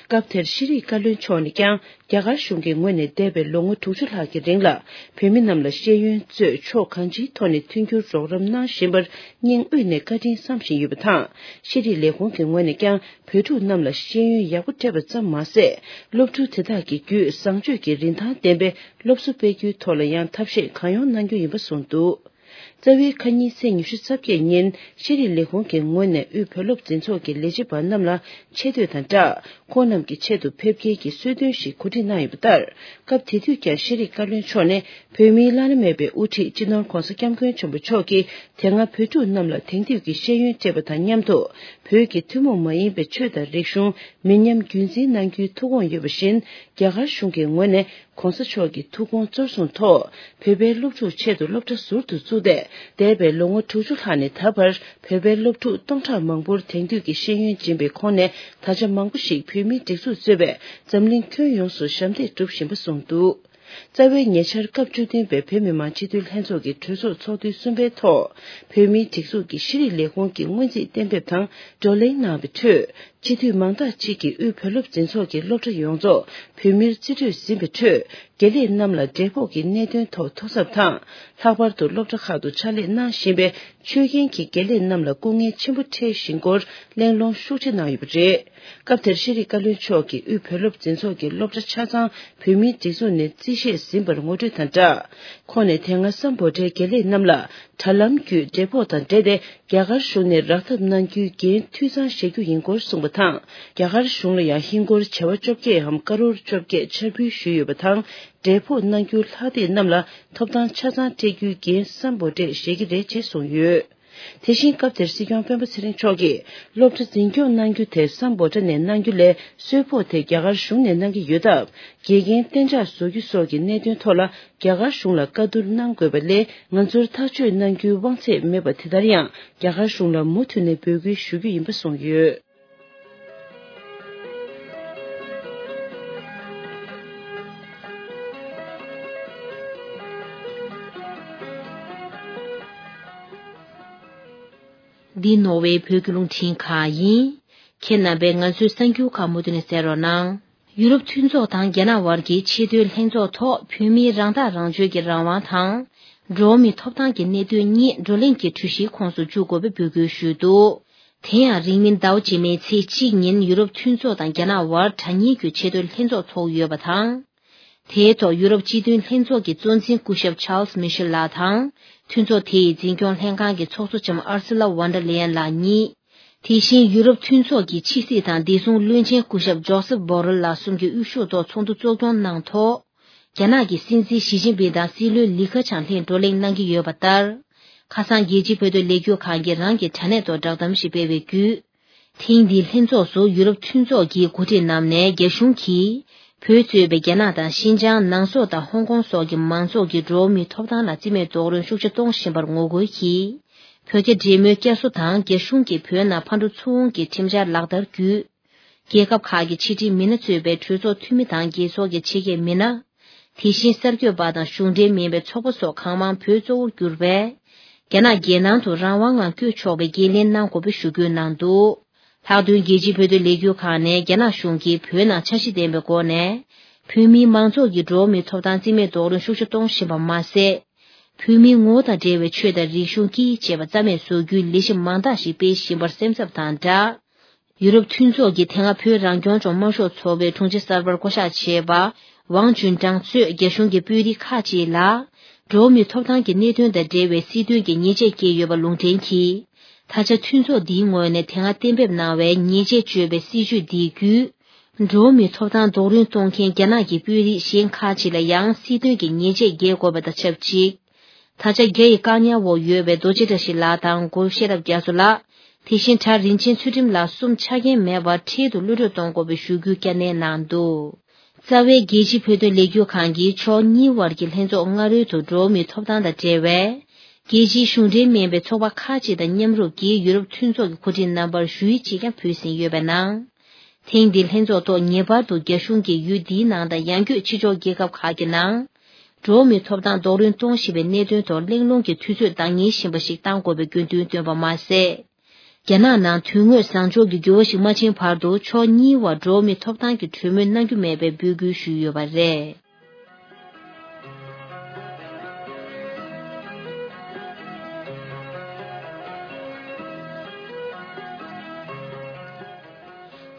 སྐབས་དེར་ཤེས་རིག་བཀའ་བློན་མཆོག་ནས་ཀྱང་རྒྱ་གར་གཞུང་གི་ངོས་ནས་འདས་པའི་ལོ་ངོ་དྲུག་ཅུ་ལྷག་གི་རིང་ལ་བོད་མི་རྣམས་ལ་ཤེས་ཡོན་གཙོས་ཕྱོགས་གང་ཅིའི་ཐོག་ནས་མཐུན་འགྱུར་རོགས་རམ་གནང་བཞིན་པར་སྙིང་དབུས་ནས་བཀའ་དྲིན་བསམ་བཞིན་ཡོད་པ་དང་། ཤེས་རིག་ལས་ཁུངས་ཀྱི་ངོས་ནས་ཀྱང་བོད་ཕྲུག་རྣམས་ལ་ཤེས་ཡོན་ཡག་པོ་སྤྲད་པ་ཙམ་མ་ཟད། སློབ་ཕྲུག་དེ་དག་གི་བརྒྱུད་བཟང་སྤྱོད་ཀྱི་རིན་ཐང་ལྡན་པའི་སློབ་གསོ་སྤེལ་རྒྱུའི་ཐོག་ལ་ཡང་ཐབས་ཤེས་གང་ཡོང་གནང་རྒྱུ་ཡིན་པ་གསུངས་འདུག། རྩ་བའི་ཁ་ཉིན་ཚེས་ཉི་ཤུ་རྩ་བརྒྱད་ཉིན་ཤེས་རིག་ལས་ཁུངས་ཀྱི་ངོས་ནས་དབུས་བོད་སློབ་འཛིན་ཚོགས་ཀྱི་ལས་བྱེད་པ་རྣམས་ལ་ཆེ་བསྟོད་དང་སྦྲགས། ཁོང་རྣམས་ཀྱི་ཆེད་དུ་ཕེབས་སྐྱེལ་གྱི་གསོལ་སྟོན་ཞིག་གོ་སྒྲིག་གནང་ཡོད་པ་ལྟར། སྐབས་དེ་དུས་ཀྱང་ཤེས་རིག་བཀའ་བློན་མཆོག་ནས་བོད་མིའི་བླ་ན་མེད་པའི་དབུ་ཁྲིད་སྤྱི་ནོར་༧གོང་ས་༧སྐྱབས་མགོན་ཆེན་པོ་མཆོག་གིས་དེ་སྔ་བོད་ཕྲུག་རྣམས་ལ་དེང་དུས་ཀྱི་ཤེས་ཡོན་སྤྲད་པ་དང་མཉམ་དུ། བོད་ཀྱི་ཐུན་མོང་མ་ཡིན་པའི་ཆོས་དང་རིག་གཞུང་མི་ཉམས་རྒྱུན་འཛིན་གནང་རྒྱུའི་ཐུགས་དགོངས་ཡོད་པ་བཞིན། རྒྱ་གར་གཞུང་གི་ངོས་ནས། ༧གོང་ས་མཆོག་གི་ཐུགས་དགོངས་གཙོར་བཟུང་ཐོག་བོད་པའི་སློབ་ཕྲུག་ཆེད་དུ་སློབ་གྲྭ་ཟུར་དུ་བཙུགས་ཏེ། འདས་པའི་ལོ་ངོ་དྲུག་ཅུ་ལྷག་ནས་ད་བར་བོད་པའི་སློབ་ཕྲུག་སྟོང་ཕྲག་མང་པོར་དེང་དུས་ཀྱི་ཤེས་ཡོན་སྦྱིན་པའི་ཁོངས་ནས་ད་ཆ་མང་པོ་ཞིག་བོད་མིའི་སྒྲིག་འཛུགས་གཙོས་པའི་འཛམ་གླིང་ཁྱོན་ཡོངས་སུ་ཞབས་འདེགས་བསྒྲུབ་བཞིན་པ་གསུངས་འདུག། རྩ་བའི་ཉེ་ཆར་སྐབས་བཅུ་བདུན་པའི་བོད་མི་མང་སྤྱི་འཐུས་ལྷན་ཚོགས་ཀྱི་གྲོས་ཚོགས་ཚོགས་དུས་གསུམ་པའི་ཐོག་བོད་མིའི་སྒྲིག་འཛུགས་ཀྱི་ཤེས་རིག་ལས་ཁུངས་ཀྱི་སྔོན་རྩིས་གཏན་འབེབས་དང་བགྲོ་གླེང་གནང་བའི་ཁྲོད། སྤྱི་འཐུས་མང་དག་ཅིག་གིས་དབུས་བོད་སློབ་འཛིན་ཚོགས་ཀྱི་སློབ་གྲྭ་ཡོངས་རྫོགས་བོད་མིར་རྩིས་སྤྲོད་ཟིན་པའི་ཁྲོད། དགེ་ལས་རྣམས་ལ་འབྲས་སྤོགས་ཀྱི་གནད་དོན་ཐོག་ཐོ་གསབ་དང་། ལྷག་པར་དུ་སློབ་གྲྭ་ཁག་ཏུ་ཕྱག་ལས་གནང་བཞིན་པའི་ཆོས་མཁན་གྱི་དགེ་ལས་རྣམས་ལ་སྐུ་ངལ་ཆེན་པོ་འཕྲད་བཞིན་སྐོར་གླེང་སློང་ཤུགས་ཆེ་གནང་ཡོད་པ་རེད། སྐབས་དེར་ཤེས་རིག་བཀའ་བློན་མཆོག་གིས་དབུས་བོད་སློབ་འཛིན་ཚོགས་ཀྱི་སློབ་གྲྭ་ཆ་ཚང་བོད་མིའི་སྒྲིག་འཛུགས་ནས་རྩིས་བཞེས་ཟིན་པར་ངོ་སྤྲོད་དང་སྦྲགས། ཁོང་ནས་དེ་སྔ་སམ་བྷོ་ཊའི་དགེ་ལས་རྣམས་ལ་དྲ་ལམ་བརྒྱུད་འབྲས་སྤོགས་དང་འབྲེལ་ཏེ། རྒྱ་གར་གཞུང་ནས་རག་ཐབས་གནང་རྒྱུའི་འགན་འཐུས་ཚང་བཞེས་རྒྱུ་ཡིན་སྐོར་གསུངས་པ་དང་། རྒྱ་གར་གཞུང་ལ་ཡང་ཧིན་སྒོར་བྱེ་བ་བཅོ་བརྒྱད་འམ་ཀ་རོར་བཅོ་བརྒྱད་འཆར་འབུལ་ཞུས་ཡོད་པ་དང་། འབྲས་སྤོགས་གནང་རྒྱུའི་ལྷག་སྟེགས་རྣམས་ལ་ཐོབ་ཐང་ཆ་ཚང་སྤྲད་རྒྱུའི་འགན་སམ་བྷོ་ཊས་བཞེས་ཀྱི་རེད་ཅེས་གསུངས་ཡོད། དེ་བཞིན་སྐབས་དེར་སྲིད་སྐྱོང་སྤེན་པ་ཚེ་རིང་མཆོག་གིས་སློབ་གྲྭ་འཛིན་སྐྱོང་གནང་རྒྱུ་དེ་སམ་བྷོ་ཊ་ནས་གནང་རྒྱུ་ལས་གསོལ་ཕོགས་དེ་རྒྱ་གར་གཞུང་ནས་གནང་གི་ཡོད་སྟབས། དགེ་རྒན་གཏན་འཇགས་བཟོ་རྒྱུ་སོགས་ཀྱི་གནད་དོན་ཐོག་ལ་རྒྱ་གར་གཞུང་ལ་བཀའ་བསྡུར་གནང་དགོས་པ་ལས་ང་ཚོར་ཐག་གཅོད་གནང་རྒྱུའི་དབང་ཚད་མེད་པ་དེ་ལྟར་ཡང་རྒྱ་གར་གཞུང་ལ་མུ་མཐུད་ནས་འབོད་སྐུལ་ཞུ་རྒྱུ་ཡིན་པ་གསུངས་ཡོད། འདི་ནོར་ཝེ་བོད་ཀྱི་རླུང་འཕྲིན་ཁང་ཡིན། ཁྱེད་རྣམ་པས་ང་ཚོའི་གསར་འགྱུར་ཁག་མུ་མཐུད་ནས་གསན་རོགས་གནང་། ཡུ་རོབ་མཐུན་ཚོགས་དང་རྒྱ་ནག་བར་གྱི་ཆེས་མཐོའི་ལྷན་ཚོགས་ཐོག་བོད་མིའི་རང་ཐག་རང་གཅོད་ཀྱི་རང་དབང་དང་། འགྲོ་བ་མིའི་ཐོབ་ཐང་གི་གནད་དོན་གཉིས་བགྲོ་གླེང་གི་གྲོས་གཞིའི་ཁོངས་སུ་འཇུག་དགོས་པའི་འབོད་སྐུལ་ཞུས་འདུག་དེ་ཡང་རིང་མིན་ཟླ་བ་རྗེས་མའི་ཚེས་གཅིག་ཉིན་ཡུ་རོབ་མཐུན་ཚོགས་དང་རྒྱ་ནག་བར་དྲ་བརྙན་བརྒྱུད་ཆེས་མཐོའི་ལྷན་ཚོགས་ཚོགས་ཡོད་པ་དང་། དེའི་ཐོག་ཡུ་རོབ་སྤྱི་མཐུན་ལྷན་ཚོགས་ཀྱི་གཙོ་འཛིན་སྐུ་ཞབས་ཆཱལ་སི་མི་ཤེལ་ལགས་དང་། མཐུན་ཚོགས་དེ་ཡི་འཛིན་སྐྱོང་ལྷན་ཁང་གི་ཚོགས་གཙོ་ལྕམ་ཨར་སི་ལ་ཝན་ཌར་ལེ་ཡན་ལགས་གཉིས། དེ་བཞིན་ཡུ་རོབ་མཐུན་ཚོགས་ཀྱི་ཕྱི་སྲིད་དང་བདེ་སྲུང་བློན་ཆེན་སྐུ་ཞབས་ཇོ་སེབ་བྷོ་རེལ་ལགས་གསུམ་གྱི་དབུ་བཞུགས་ཐོག་ཚོགས་འདུ་གཙོ་སྐྱོང་གནང་ཐོག་རྒྱ་ནག་གི་སྲིད་འཛིན་ཞི་ཅིན་ཕིང་དང་སྲིད་བློན་ལི་ཁེ་ཆང་ལྷན་བགྲོ་གླེང་གནང་གི་ཡོད་པ་ལྟར། ཁ་སང་རྒྱལ་སྤྱིའི་བོད་དོན་ལས་འགུལ་ཁང་གིས་རང་གི་དྲ་གནས་ཐོག་བསྒྲགས་གཏམ་ཞིག་སྤེལ་བའི་བརྒྱུད། ཐེངས་འདིའི་ལྷན་ཚོགས་སུ་ཡུ་རོབ་མཐུན་ཚོགས་ཀྱི་འགོ་ཁྲིད་རྣམས་ནས་རྒྱ་གཞུང་གིས་བོད་གཙོས་པའི་རྒྱ་ནག་དང་ཤིན་ཅང་། ནང་སོག་དང་ཧོང་ཀོང་སོགས་ཀྱི་མང་ཚོགས་ཀྱི་འགྲོ་བ་མིའི་ཐོབ་ཐང་ལ་བརྩི་མེད་རྡོག་རོལ་ཤུགས་ཆེ་གཏོང་བཞིན་པར་ངོ་རྒོལ་གྱིས། བོད་རྒྱ་འབྲེལ་མོལ་བསྐྱར་གསོ་དང་རྒྱ་གཞུང་གིས་བོད་ནང་ཕར་འགྲོ་ཚུར་འོང་གི་ཁྲིམས་འཆར་ལག་བསྟར་བརྒྱུད། རྒྱལ་ཁབ་ཁག་གི་ཕྱི་འབྲེལ་མི་སྣ་གཙོས་པའི་གྲོས་ཚོགས་འཐུས་མི་དང་རྒྱལ་ཚོགས་ཀྱི་ཆེད་མཁས་མི་སྣ། དེ་བཞིན་གསར་འགོད་པ་དང་གཞུང་འབྲེལ་མིན་པའི་ཚོགས་པ་སོགས་གང་མང་བོད་གཙོ་བོར་གྱུར་པའི་རྒྱ་ནག་རྒྱལ་ནང་དུ་རང་དབང་ངང་བསྐྱོད་ཆོག་པའི་འགན་ལེན་གནང་དགོས་པའི་ཞུ་སྐུལ་གནང་འདུག་ལྷག་དོན་རྒྱལ་སྤྱིའི་བོད་དོན་ལས་འགུལ་ཁང་ནས་རྒྱ་ནག་གཞུང་གིས་བོད་ནང་འཆར་གཞི་ལྡན་པའི་སྒོ་ནས་བོད་མིའི་མང་ཚོགས་ཀྱི་འགྲོ་བ་མིའི་ཐོབ་ཐང་རྩིས་མེད་རྡོག་རོལ་ཤུགས་ཆེ་གཏོང་བཞིན་པ་མ་ཟད། བོད་མིའི་ངོ་བོ་དང་འབྲེལ་བའི་ཆོས་དང་རིག་གཞུང་སྐད་ཡིག་བཅས་པ་རྩ་མེད་བཟོ་རྒྱུའི་ལས་གཞི་མང་དག་ཞིག་སྤེལ་བཞིན་པར་སེམས་འཚབ་དང་སྦྲགས། ཡུ་རོབ་མཐུན་ཚོགས་ཀྱི་དེ་སྔ་བོད་རང་སྐྱོང་ལྗོངས་དམར་ཤོག་ཚོགས་པའི་དྲུང་ཆེ་གསར་པར་བསྐོ་གཞག་བྱས་པ་ཝང་ཅུན་ཀྲང་གཙོས་རྒྱ་གཞུང་གི་དཔོན་རིགས་ཁག་ཅིག་ལ། འགྲོ་བ་མིའི་ཐོབ་ཐང་གི་གནད་དོན་དང་འབྲེལ་བའི་སྲིད་དོན་གྱི་ཉེས་ཆད་བཀལ་ཡོད་པ་ལུང་འདྲེན་གྱིས། ད་ཆ་མཐུན་ཚོགས་འདིའི་ངོས་ནས་དེ་སྔ་གཏན་འབེབས་གནང་བའི་ཉེས་ཆད་གཅོད་པའི་སྲིད་བྱུས་འདི་བརྒྱུད། འགྲོ་བ་མིའི་ཐོབ་ཐང་རྡོག་རོལ་གཏོང་མཁན་རྒྱ་ནག་གི་དཔོན་རིགས་གཞན་ཁག་ཅིག་ལ་ཡང་སྲིད་དོན་གྱི་ཉེས་ཆད་འགེལ་དགོས་པ་དང་ཆབས་ཅིག་ད་ཆ་རྒྱ་ཡི་བཀག་ཉར་འོག་ཡོད་པའི་རྡོ་རྗེ་བཀྲ་ཤིས་ལགས་དང་གུ་རུ་ཤེས་རབ་རྒྱ་མཚོ་ལགས། དེ་བཞིན་གྲྭ་རིན་ཆེན་ཚུལ་ཁྲིམས་ལགས་གསུམ་ཆ་རྐྱེན་མེད་པར་འཁྲིས་དུ་གློད་གྲོལ་གཏོང་དགོས་པའི་ཞུ་སྐུལ་བསྐྱར་ནན་གནང་འདུག་རྩ་བའི་རྒྱལ་སྤྱིའི་བོད་དོན་ལས་འགུལ་ཁང་གིས་ཕྱོགས་གཉིས་དབར་གྱི་ལྷན་ཚོགས་སྔ་རོལ་དུ་འགྲོ་བ་མིའི་ཐོབ་ཐང་དང་འབྲེལ་བའི་རྒྱལ་སྤྱིའི་གཞུང་འབྲེལ་མིན་པའི་ཚོགས་པ་ཁག་ཅིག་དང་མཉམ་རུབ་ཀྱིས་ཡུ་རོབ་མཐུན་ཚོགས་ཀྱི་གོ་སྒྲིག་རྣམ་པར་ཞུ་ཡིག་ཅིག་ཀྱང་ཕུལ་ཟིན་ཡོད་པའི་ནང་། ཐེངས་འདིའི་ལྷན་ཚོགས་ཐོག་ངེས་པར་དུ་རྒྱ་གཞུང་གིས་ཡུལ་འདིའི་ནང་དང་ཡང་སྐྱོད་ཕྱི་ཕྱོགས་རྒྱལ་ཁབ་ཁག་གི་ནང་། འགྲོ་བ་མིའི་ཐོབ་ཐང་རྡོག་རོལ་གཏོང་བཞིན་པའི་གནད་དོན་ཐོག་གླེང་སློང་གི་དུས་ཚོད་འདང་ངེས་བཞིན་པ་ཞིག་གཏང་དགོས་པའི་དགོས་འདུན་བཏོན་པ་མ་ཟད། རྒྱ་ནག་ནང་དོན་དངོས་བཟང་ཕྱོགས་ཀྱི་འགྱུར་བ་ཞིག་མ་ཕྱིན་བར་དུ་ཕྱོགས་གཉིས་བར་འགྲོ་བ་མིའི་ཐོབ་ཐང་གི་གྲོས་མོལ་གནང་རྒྱུ་མེད་པའི་འབོད་སྐུལ་ཞུས་ཡོད་པ་རེད།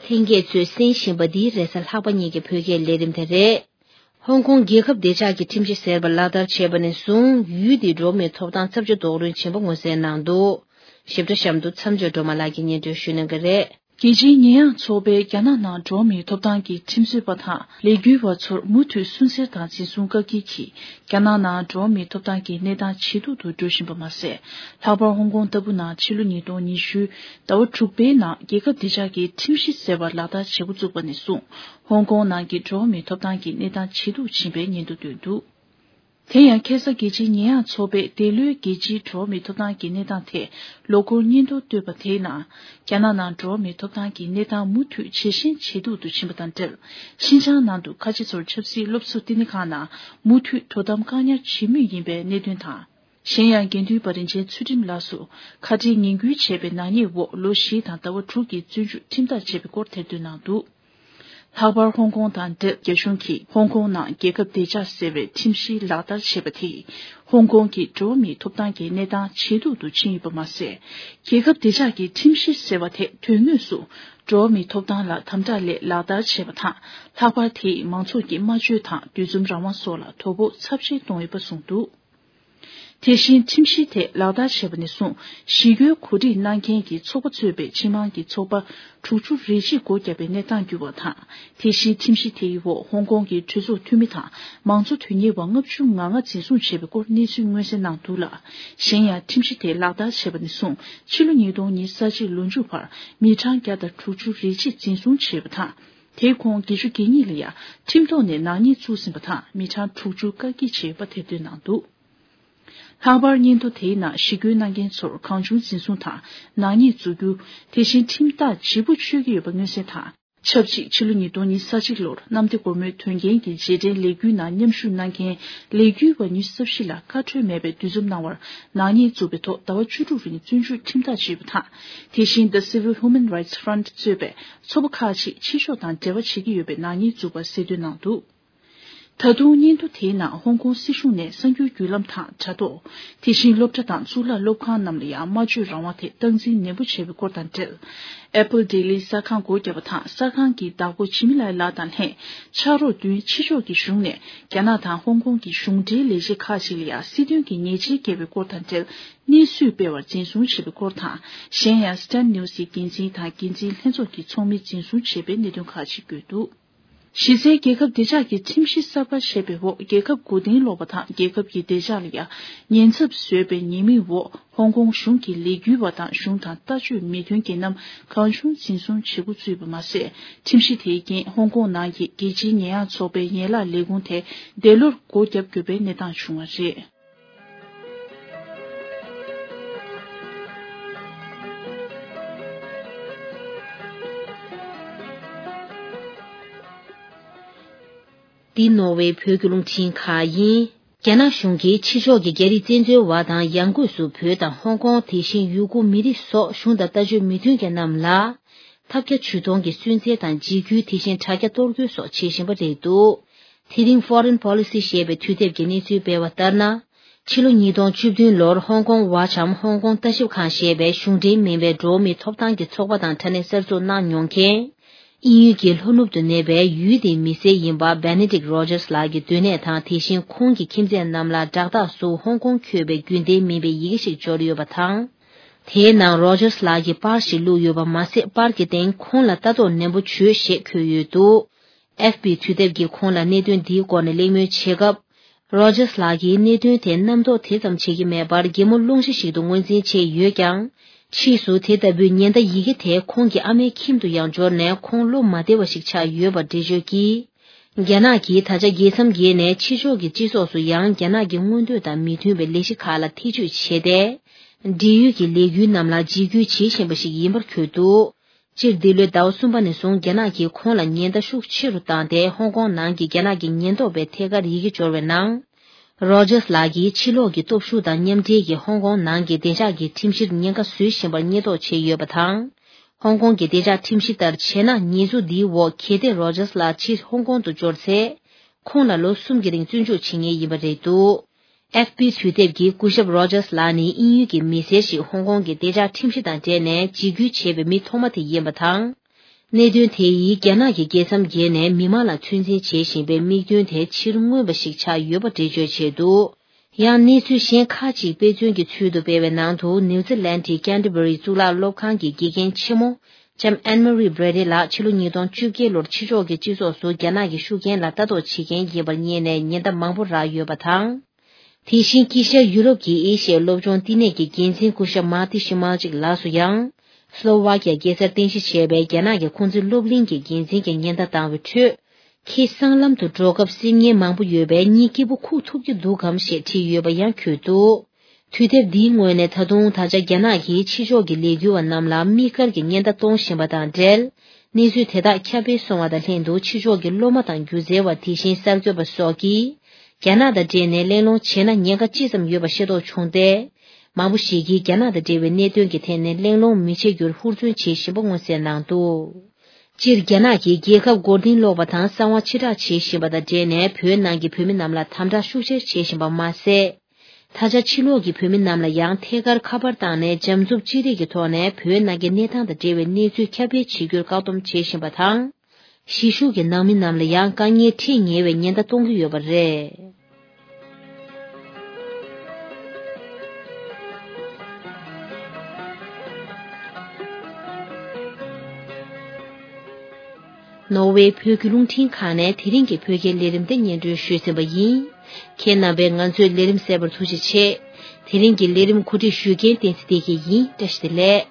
ལྷན་རྒྱས་ཚོས་གསན་བཞིན་པ་འདི་རེས་གཟའ་ལྷག་པ་ཉིན་གྱི་བོད་སྐད་ལས་རིམ་དེ་རེད། ཧོང་ཀོང་རྒྱལ་ཁབ་བདེ་འཇགས་ཀྱི་ཁྲིམས་གཞི་ཟེར་བ་ལག་བསྟར་བྱས་པ་ནས་བཟུང་ཡུལ་དེའི་འགྲོ་བ་མིའི་ཐོབ་ཐང་ཚབས་ཆེ་རྡོག་རོལ་ཕྱིན་པ་མངོན་གསལ་གནང་འདུག་ཞིབ་ཕྲ་གཤམ་དུ་མཚམས་སྦྱོར་སྒྲོལ་མ་ལགས་ཀྱིས་སྙན་སྒྲོན་ཞུ་གནང་གི་རེད། རྒྱལ་སྤྱིའི་ཉེས་ཡངས་ཚོགས་པས་རྒྱ་ནག་ནང་འགྲོ་བ་མིའི་ཐོབ་ཐང་གི་ཁྲིམས་རྩོད་པ་དང་ལས་འགུལ་བ་ཚོར་མུ་མཐུད་སུན་གཙེར་དང་འཛིན་བཟུང་བཀག་སྐྱིལ་གྱིས་རྒྱ་ནག་ནང་འགྲོ་བ་མིའི་ཐོབ་ཐང་གི་གནས་སྟངས་ཇེ་སྡུག་ཏུ་འགྲོ་བཞིན་པ་མ་ཟད། ལྷག་པར་ཧོང་ཀོང་ལྟ་བུ་ནང་ཕྱི་ལོ་ཉིས་སྟོང་ཉི་ཤུ་ཟླ་བ་དྲུག་པའི་ནང་རྒྱལ་ཁབ་བདེ་འཇགས་ཀྱི་ཁྲིམས་གཞི་ཟེར་བ་ལག་བསྟར་བྱེད་འགོ་བཙུགས་པ་ནས་བཟུང་ཧོང་ཀོང་ནང་གི་འགྲོ་བ་མིའི་ཐོབ་ཐང་གི་གནས་སྟངས་ཇེ་སྡུག་ཕྱིན་པའི་སྙན་ཐོ་བཏོན་འདུག་དེ་ཡང་ཁ་སང་རྒྱལ་སྤྱིའི་ཉེས་ཡངས་ཚོགས་པས་འདས་ལོའི་རྒྱལ་སྤྱིའི་འགྲོ་བ་མིའི་ཐོབ་ཐང་གི་གནས་སྟངས་ཐད་ལོ་འཁོར་སྙན་ཐོ་བཏོན་པ་དེའི་ནང་། རྒྱ་ནག་ནང་འགྲོ་བ་མིའི་ཐོབ་ཐང་གི་གནས་སྟངས་མུ་མཐུད་ཇེ་ཞན་ཇེ་སྡུག་ཏུ་ཕྱིན་པ་དང་འབྲེལ། ཤིན་ཅང་ནང་དུ་ཁ་ཆེ་ཚོར་ཆབ་སྲིད་སློབ་གསོ་བསྟི་གནས་ཁང་ནང་མུ་མཐུད་དོ་དམ་བཀག་ཉར་བྱེད་མུས་ཡིན་པའི་གནད་དོན་དང་། གཞན་ཡང་། དགེ་འདུན་པ་རིན་ཆེན་ཚུལ་ཁྲིམས་ལགས་སུ་ཁ་བྲལ་ངན་སྐུལ་བྱས་པའི་ནག་ཉེས་འོག་ལོ་བཞི་དང་ཟླ་བ་དྲུག་གི་བཙོན་འཇུག་ཁྲིམས་ཐག་བཅད་པའི་སྐོར་ཐེར་འདོན་གནང་འདུག་ལྷག་པར་ཧོང་ཀོང་དང་འབྲེལ། རྒྱ་གཞུང་གིས་ཧོང་ཀོང་ནང་རྒྱལ་ཁབ་བདེ་འཇགས་ཟེར་བའི་ཁྲིམས་གཞི་ལག་བསྟར་བྱས་པ་དེས། ཧོང་ཀོང་གི་འགྲོ་བ་མིའི་ཐོབ་ཐང་གི་གནས་སྟངས་ཇེ་སྡུག་ཏུ་ཕྱིན་ཡོད་པ་མ་ཟད། རྒྱལ་ཁབ་བདེ་འཇགས་ཀྱི་ཁྲིམས་གཞི་ཟེར་བ་དེ་དོན་དངོས་སུ་འགྲོ་བ་མིའི་ཐོབ་ཐང་ལ་དམ་དྲག་ལས་ལག་བསྟར་བྱས་པ་དང་། ལྷག་པར་དེས་མང་ཚོགས་ཀྱི་སྨྲ་བརྗོད་དང་འདུ་འཛོམས་རང་དབང་སོགས་ལ་དོ་ཕོག་ཚབས་ཆེན་བཏང་ཡོད་པ་གསུངས་འདུག་དེ་བཞིན་ཁྲིམས་གཞི་དེ་ལག་བསྟར་བྱས་པ་ནས་བཟུང་ཞི་རྒོལ་གོ་སྒྲིག་གནང་མཁན་གྱི་ཚོགས་པ་གཙོས་པའི་ཕྱི་དམངས་ཀྱི་ཚོགས་པ་དྲུག་ཅུ་རེ་གཅིག་སྒོ་བརྒྱབ་པའི་གནས་སྟངས་འགྱུར་བ་དང་། དེ་བཞིན་ཁྲིམས་གཞི་དེའི་འོག་ཧོང་ཀོང་གི་གྲོས་ཚོགས་འཐུས་མི་དང་མང་གཙོ་དོན་གཉེར་བ་ལྔ་བཅུ་ང་ལྔ་འཛིན་བཟུང་བྱས་པའི་སྐོར་གནས་ཚུལ་མངོན་གསལ་གནང་འདུག་ལ། གཞན་ཡང་ཁྲིམས་གཞི་དེ་ལག་བསྟར་བྱས་པ་ནས་བཟུང་ཕྱི་ལོ་ཉིས་སྟོང་ཉི་ཤུ་རྩ་གཅིག་ལོ་མཇུག་བར་མི་གྲངས་བརྒྱ་དང་དྲུག་ཅུ་རེ་གཅིག་འཛིན་བཟུང་བྱས་པ་དང་། དེའི་ཁོངས་བརྒྱད་ཅུ་གྱ་གཉིས་ལ་ཡང་ཁྲིམས་ཐོག་ནས་ནག་ཉེས་བཙུགས་ཟིན་པ་དང་མི་གྲངས་དྲུག་ཅུ་བཀག་སྐྱིལ་བྱས་ཡོད་པ་ཐེར་འདོན་གནང་འདུག་ལྷག་པར་སྙན་ཐོ་དེའི་ནང་ཞི་རྒོལ་གནང་མཁན་ཚོར་གང་བྱུང་འཛིན་བཟུང་དང་ནག་ཉེས་འཛུགས་རྒྱུ། དེ་བཞིན་ཁྲིམས་ཐག་ལྗིད་པོ་གཅོད་ཀྱི་ཡོད་པ་མངོན་གསལ་དང་། ཆབས་ཅིག་ཕྱི་ལོ་ཉིས་སྟོང་ཉི་ཤུ་རྩ་གཅིག་ལོར་གནམ་བདེ་སྒོ་མོའི་དོན་རྐྱེན་གྱི་རྗེས་དྲན་ལས་འགུལ་ནང་མཉམ་ཞུགས་གནང་མཁན་ལས་འགུལ་བ་ཉི་ཤུ་རྩ་བཞི་ལ་བཀའ་འཁྲོལ་མེད་པའི་འདུ་འཛོམས་གནང་བར་ནག་ཉེས་བཙུགས་པའི་ཐོག་ཟླ་བ་བཅུ་དྲུག་རིང་བཙོན་འཇུག་ཁྲིམས་ཐག་བཅད་པ་དང་། དེ་བཞིན་The Civil Human Rights Front གཙོས་པའི་ཚོགས་པ་ཁག་ཅིག་ཕྱི་ཕྱོགས་དང་འབྲེལ་བ་བྱེད་ཀྱི་ཡོད་པའི་ནག་ཉེས་བཙུགས་པ་གསལ་སྟོན་གནང་འདུག་ད་དུང་སྙན་ཐོ་དེའི་ནང་ཧོང་ཀོང་སྲིད་གཞུང་ནས་གསར་འགྱུར་བརྒྱུད་ལམ་དང་དྲ་ཐོག་དེ་བཞིན་སློབ་གྲྭ་དང་གཙུག་ལག་སློབ་ཁང་རྣམས་ལ་ཡང་སྨྲ་བརྗོད་རང་དབང་ཐད་སྟངས་འཛིན་ནན་པོ་བྱས་པའི་སྐོར་དང་འབྲེལ། Apple Daily གསར་ཁང་སྒོ་བརྒྱབ་པ་དང་གསར་ཁང་གི་བདག་པོ་ཇི་མི་ལའི་ལགས་དང་ལྷན་ཕྱག་རོགས་བདུན་ཕྱི་ཕྱོགས་ཀྱི་གཞུང་ནས་རྒྱ་ནག་དང་ཧོང་ཀོང་གི་གཞུང་འབྲེལ་ལས་བྱེད་ཁག་ཅིག་ལ་ཡང་སྲིད་དོན་གྱི་ཉེས་ཆད་བཀལ་བའི་སྐོར་དང་འབྲེལ་གནས་ཚུལ་སྤེལ་བར་འཛིན་བཟུང་བྱས་པའི་སྐོར་དང་། གཞན་ཡང་Stand News ཡི་འགན་འཛིན་དང་འགན་འཛིན་ལྷན་ཚོགས་ཀྱི་ཚོགས་མི་འཛིན་བཟུང་བྱས་པའི་གནད་དོན་ཁག་ཅིག་བཀོད་འདུག་གཞི་རྩའི་རྒྱལ་ཁབ་བདེ་འཇགས་ཀྱི་ཁྲིམས་གཞི་གསར་པ་ཞེས་པའི་འོག་རྒྱལ་ཁབ་མགོ་རྟིང་སློག་པ་དང་རྒྱལ་ཁབ་ཀྱི་བདེ་འཇགས་ལ་ཡང་ཉེན་ཚབས་བཟོས་པའི་ཉེས་མིང་འོག་ཧོང་ཀོང་གཞུང་གི་ལས་འགུལ་བ་དང་གཞུང་དང་ལྟ་སྤྱོད་མི་མཐུན་རྒྱལ་རྣམ་གང་བྱུང་འཛིན་བཟུང་བྱེད་འགོ་བཙུགས་པ་མ་ཟད། ཁྲིམས་གཞི་དེའི་རྐྱེན་ཧོང་ཀོང་ནང་གི་རྒྱལ་སྤྱིའི་ཉེས་ཡངས་ཚོགས་པའི་ཡན་ལག་ལས་ཁུངས་དེ་འདས་ལོར་སྒོ་བརྒྱབ་དགོས་པའི་གནས་སྟངས་བྱུང་བ་རེད། འདི་ནོར་ཝེ་བོད་ཀྱི་རླུང་འཕྲིན་ཁང་ཡིན། རྒྱ་ནག་གཞུང་གིས་ཕྱི་ཕྱོགས་ཀྱི་རྒྱ་རིགས་བཙན་འཛུལ་བ་དང་ཡང་སྒོས་སུ་བོད་དང་ཧོང་ཀོང་དེ་བཞིན་ཡུ་གུར་མི་རིགས་སོགས་གཞུང་དང་ལྟ་སྤྱོད་མི་མཐུན་མཁན་རྣམས་ལ་ཐབས་བརྒྱ་ཇུས་སྟོང་གིས་སུན་གཙེར་དང་འཇིགས་སྐུལ་དེ་བཞིན་དྲ་རྒྱ་གཏོར་རྒོལ་སོགས་བྱེད་བཞིན་པ་རེད་འདུག་དེ་རིང་Foreign Policy ཞེས་པའི་དུས་དེབ་ཀྱི་གནས་ཚུལ་སྤེལ་བ་ལྟར་ན། ཕྱི་ལོ་ཉིས་སྟོང་བཅུ་བདུན་ལོར་ཧོང་ཀོང་Watch འམ་ཧོང་ཀོང་ལྟ་ཞིབ་ཁང་ཞེས་པའི་གཞུང་འབྲེལ་མིན་པའི་འགྲོ་བ་མིའི་ཐོབ་ཐང་གི་ཚོགས་པ་དང་འཕྲིན་ལས་གསར་འཛུགས་གནང་མྱོང་མཁན། དབྱིན་ཡུལ་གྱི་ལྷོ་ནུབ་ཏུ་གནས་པའི་ཡུལ་དེའི་མི་སེར་ཡིན་པ་Benedict Rogers ལགས་ཀྱི་སྡོད་གནས་དང་དེ་བཞིན་ཁོང་གི་ཁྱིམ་མཚེས་རྣམས་ལ་དྲག་རྟགས་སུ་ཧོང་ཀོང་འཁོད་པའི་རྒྱུན་ལྡན་མིན་པའི་ཡི་གེ་ཞིག་འབྱོར་ཡོད་པ་དང་། དེའི་ནང་Rogers ལགས་ཀྱི་པར་ཞིག་བླུགས་ཡོད་པ་མ་ཟད། པར་གྱི་སྟེང་ཁོང་ལ་ལྟ་རྟོག་ནན་པོ་བྱོས་ཞེས་འཁོད་ཡོད་འདུག F B དུས་དེབ་ཀྱིས་ཁོང་ལ་གནད་དོན་འདིའི་སྐོར་ནས་གླེང་མོལ་བྱེད་སྐབས། Rogers ལགས་ཀྱིས་གནད་དོན་དེ་རྣམ་རྟོག་དེ་ཙམ་བྱེད་ཀྱི་མེད་པར་གད་མོ་སློང་གཞི་ཞིག་ཏུ་ངོས་འཛིན་བྱས་ཡོད་ཀྱང་། ཕྱིས་སུ་དེ་ལྟ་བུའི་ཉེན་བརྡ་ཡི་གེ་དེ་ཁོང་གི་ཨ་མའི་ཁྱིམ་དུ་ཡང་འབྱོར་ནས་ཁོང་བློ་མ་བདེ་བ་ཞིག་ཆགས་ཡོད་པ་འགྲེལ་བརྗོད་ཀྱིས། རྒྱ་ནག་གིས་ད་ཆ་རྒྱལ་མཚམས་བརྒལ་ནས་ཕྱི་ཕྱོགས་ཀྱི་སྤྱི་ཚོགས་སུ་ཡང་རྒྱ་ནག་གི་མངོན་འདོད་དང་མི་མཐུན་པའི་ལས་གཞི་ཁག་ལ་ཐེ་ཇུས་བྱས་ཏེ། འབྲེལ་ཡོད་ཀྱི་ལས་འགུལ་རྣམས་ལ་འཇིགས་སྐུལ་བྱེད་བཞིན་པ་ཞིག་ཡིན་པར་འཁོད་འདུག་སྤྱིར་འདི་ལོའི་ཟླ་བ་གསུམ་པ་ནས་བཟུང་རྒྱ་ནག་གིས་ཁོང་ལ་ཉེན་བརྡ་ཤུགས་ཆེ་རུ་བཏང་སྟེ། ཧོང་ཀོང་ནང་གི་རྒྱ་ནག་གི་ཉེན་རྟོག་པའི་ཐད་ཀར་ཡི་གེ་འབྱོར་བའི་ནང་། Rogers ལགས་ཀྱིས་ཕྱི་ལོགས་ཀྱི་སྟོབས་ཤུགས་དང་མཉམ་འབྲེལ་གྱིས་ཧོང་ཀོང་ནང་གི་བདེ་འཇགས་ཀྱི་ཁྲིམས་གཞིར་ཉེན་ཁ་བཟོས་བཞིན་པར་ཉེས་འདོགས་བྱས་ཡོད་པ་དང་། ཧོང་ཀོང་གི་བདེ་འཇགས་ཁྲིམས་གཞི་ལྟར་བྱས་ན། ཉེས་འཛུགས་འདིའི་འོག་གལ་ཏེ་Rogers ལགས་ཕྱིར་ཧོང་ཀོང་དུ་འབྱོར་ཚེ། ཁོང་ལ་ལོ་གསུམ་གྱི་རིང་བཙོན་འཇུག་བྱེད་ངེས་ཡིན་པ་རེད་འདུག F B དུས་དེབ་ཀྱིས་སྐུ་ཞབས་Rogers ལགས་ནི་དབྱིན་ཡུལ་གྱི་མི་སེར་ཞིག་ཧོང་ཀོང་གི་བདེ་འཇགས་ཁྲིམས་གཞི་དང་འབྲེལ་ནས་འཇིགས་སྐུལ་བྱས་པའི་མི་ཐོག་མ་དེ་ཡིན་པ་དང་། གནད་དོན་དེ་ཡིས་རྒྱ་ནག་གི་རྒྱལ་མཚམས་བརྒལ་ནས་མི་མང་ལ་ཚོད་འཛིན་བྱེད་བཞིན་པའི་དམིགས་འདུན་དེ་ཕྱིར་མངོན་པ་ཞིག་ཆགས་ཡོད་པ་འགྲེལ་བརྗོད་བྱས་འདུག་ཡང་གནས་ཚུལ་གཞན་ཁག་ཅིག་དཔེ་མཚོན་གྱི་ཚུལ་དུ་སྤེལ་བའི་ནང་དུ། ནིའུ་ཛི་ལན་གྱི་Canterbury གཙུག་ལག་སློབ་ཁང་གི་དགེ་རྒན་ཆེན་མོ། ལྕམ་Anne Marie Brady ལགས་ཕྱི་ལོ་ཉིས་སྟོང་བཅོ་བརྒྱད་ལོར་ཕྱི་ཕྱོགས་ཀྱི་སྤྱི་ཚོགས་སུ་རྒྱ་ནག་གི་ཤུགས་རྐྱེན་ལ་ལྟ་རྟོག་བྱེད་མཁན་ཡིན་པར་བསྙད་ནས་ཉེན་བརྡ་མང་པོ་རག་ཡོད་པ་དང་། དེ་བཞིན་དཀྱིལ་ཤར་ཡུ་རོབ་ཀྱི་ཨེ་ཤི་ཡའི་སློབ་སྦྱོང་བསྟི་གནས་ཀྱི་འགན་འཛིན་སྐུ་ཞབས་Marti Šimundža ལགས་སུ་ཡང་། སློ་ཝཱ་ཀི་ཡ་རྒྱལ་སར་རྟེན་གཞི་བྱས་པའི་རྒྱ་ནག་གི་ཁོང་ཚན་སློབ་གླིང་གི་འགན་འཛིན་གྱི་ཉེན་བརྡ་བཏང་བའི་ཁྲོད། ཁྱེད་སྲང་ལམ་དུ་འགྲོ་སྐབས་སེམས་ངལ་མང་པོ་ཡོད་པས་གཉིད་སྐྱིད་པོ་ཁུག་ཐུབ་ཀྱི་འདུག་གམ་ཞེས་བྲིས་ཡོད་པ་ཡང་འཁོད་འདུག་དུས་དེབ་འདིའི་ངོས་ནས་ད་དུང་ད་ཆ་རྒྱ་ནག་གིས་ཕྱི་ཕྱོགས་ཀྱི་ལས་འགུལ་བ་རྣམས་ལ་དམིགས་བཀར་གྱི་ཉེན་བརྡ་གཏོང་བཞིན་པ་དང་འབྲེལ། གནས་ཚུལ་དེ་དག་ཁྱབ་སྤེལ་སོང་བ་དང་ལྷན་དུ། ཕྱི་ཕྱོགས་ཀྱི་སློབ་མ་དང་སྒྱུ་རྩལ་བ། དེ་བཞིན་གསར་འགོད་པ་སོགས་ཀྱིས་རྒྱ་ནག་དང་འབྲེལ་ནས་གླེང་སློང་བྱས་ན་ཉེན་ཁ་ཅི་ཙམ་ཡོད་པ་ཤེས་རྟོགས་བྱུང་སྟེ། མང་པོ་ཞིག་གིས་རྒྱ་ནག་དང་འབྲེལ་བའི་གནད་དོན་གྱི་ཐད་ནས་གླེང་སློང་མི་བྱེད་རྒྱུར་ཧུར་བརྩོན་བྱེད་བཞིན་པ་མངོན་གསལ་གནང་འདུག་སྤྱིར་རྒྱ་ནག་གིས་རྒྱལ་ཁབ་མགོ་རྟིང་སློག་པ་དང་གསང་བ་ཕྱིར་བསྒྲགས་བྱེད་བཞིན་པ་དང་འབྲེལ་ནས། བོད་ནང་གི་བོད་མི་རྣམས་ལ་དམ་དྲག་ཤུགས་ཆེར་བྱེད་བཞིན་པ་མ་ཟད། ད་ཆ་ཕྱི་ལོགས་ཀྱི་བོད་མི་རྣམས་ལ་ཡང་ཐད་ཀར་ཁ་པར་བཏང་ནས་འཇམ་རྩུབ་ཅི་རིགས་ཀྱི་ཐོག་ནས་བོད་ནང་གི་གནས་སྟངས་དང་འབྲེལ་བའི་གནས་ཚུལ་ཁྱབ་སྤེལ་བྱེད་རྒྱུར་བཀག་སྡོམ་བྱེད་བཞིན་པ་དང་། གཞིས་བཞུགས་ཀྱི་ནང་མི་རྣམས་ལ་ཡང་དཀའ་ངལ་འཕྲད་ཉེ་བའི་ཉེན་བརྡ་གཏོང་གི་ཡོད་པ་རེད། ནོར་ཝེ་བོད་ཀྱི་རླུང་འཕྲིན་ཁང་ནས་དེ་རིང་གི་བོད་སྐད་ལས་རིམ་དེ་སྙན་སྒྲོན་ཞུས་ཟིན་པ་ཡིན། ཁྱེད་རྣམ་པས་ང་ཚོའི་ལས་རིམ་གསན་པར་ཐུགས་རྗེ་ཆེ། དེ་རིང་གི་ལས་རིམ་གོ་སྒྲིག་ཞུ་མཁན་བསྟན་འཛིན་བདེ་སྐྱིད་ཡིན། བཀྲ་ཤིས་བདེ་ལེགས།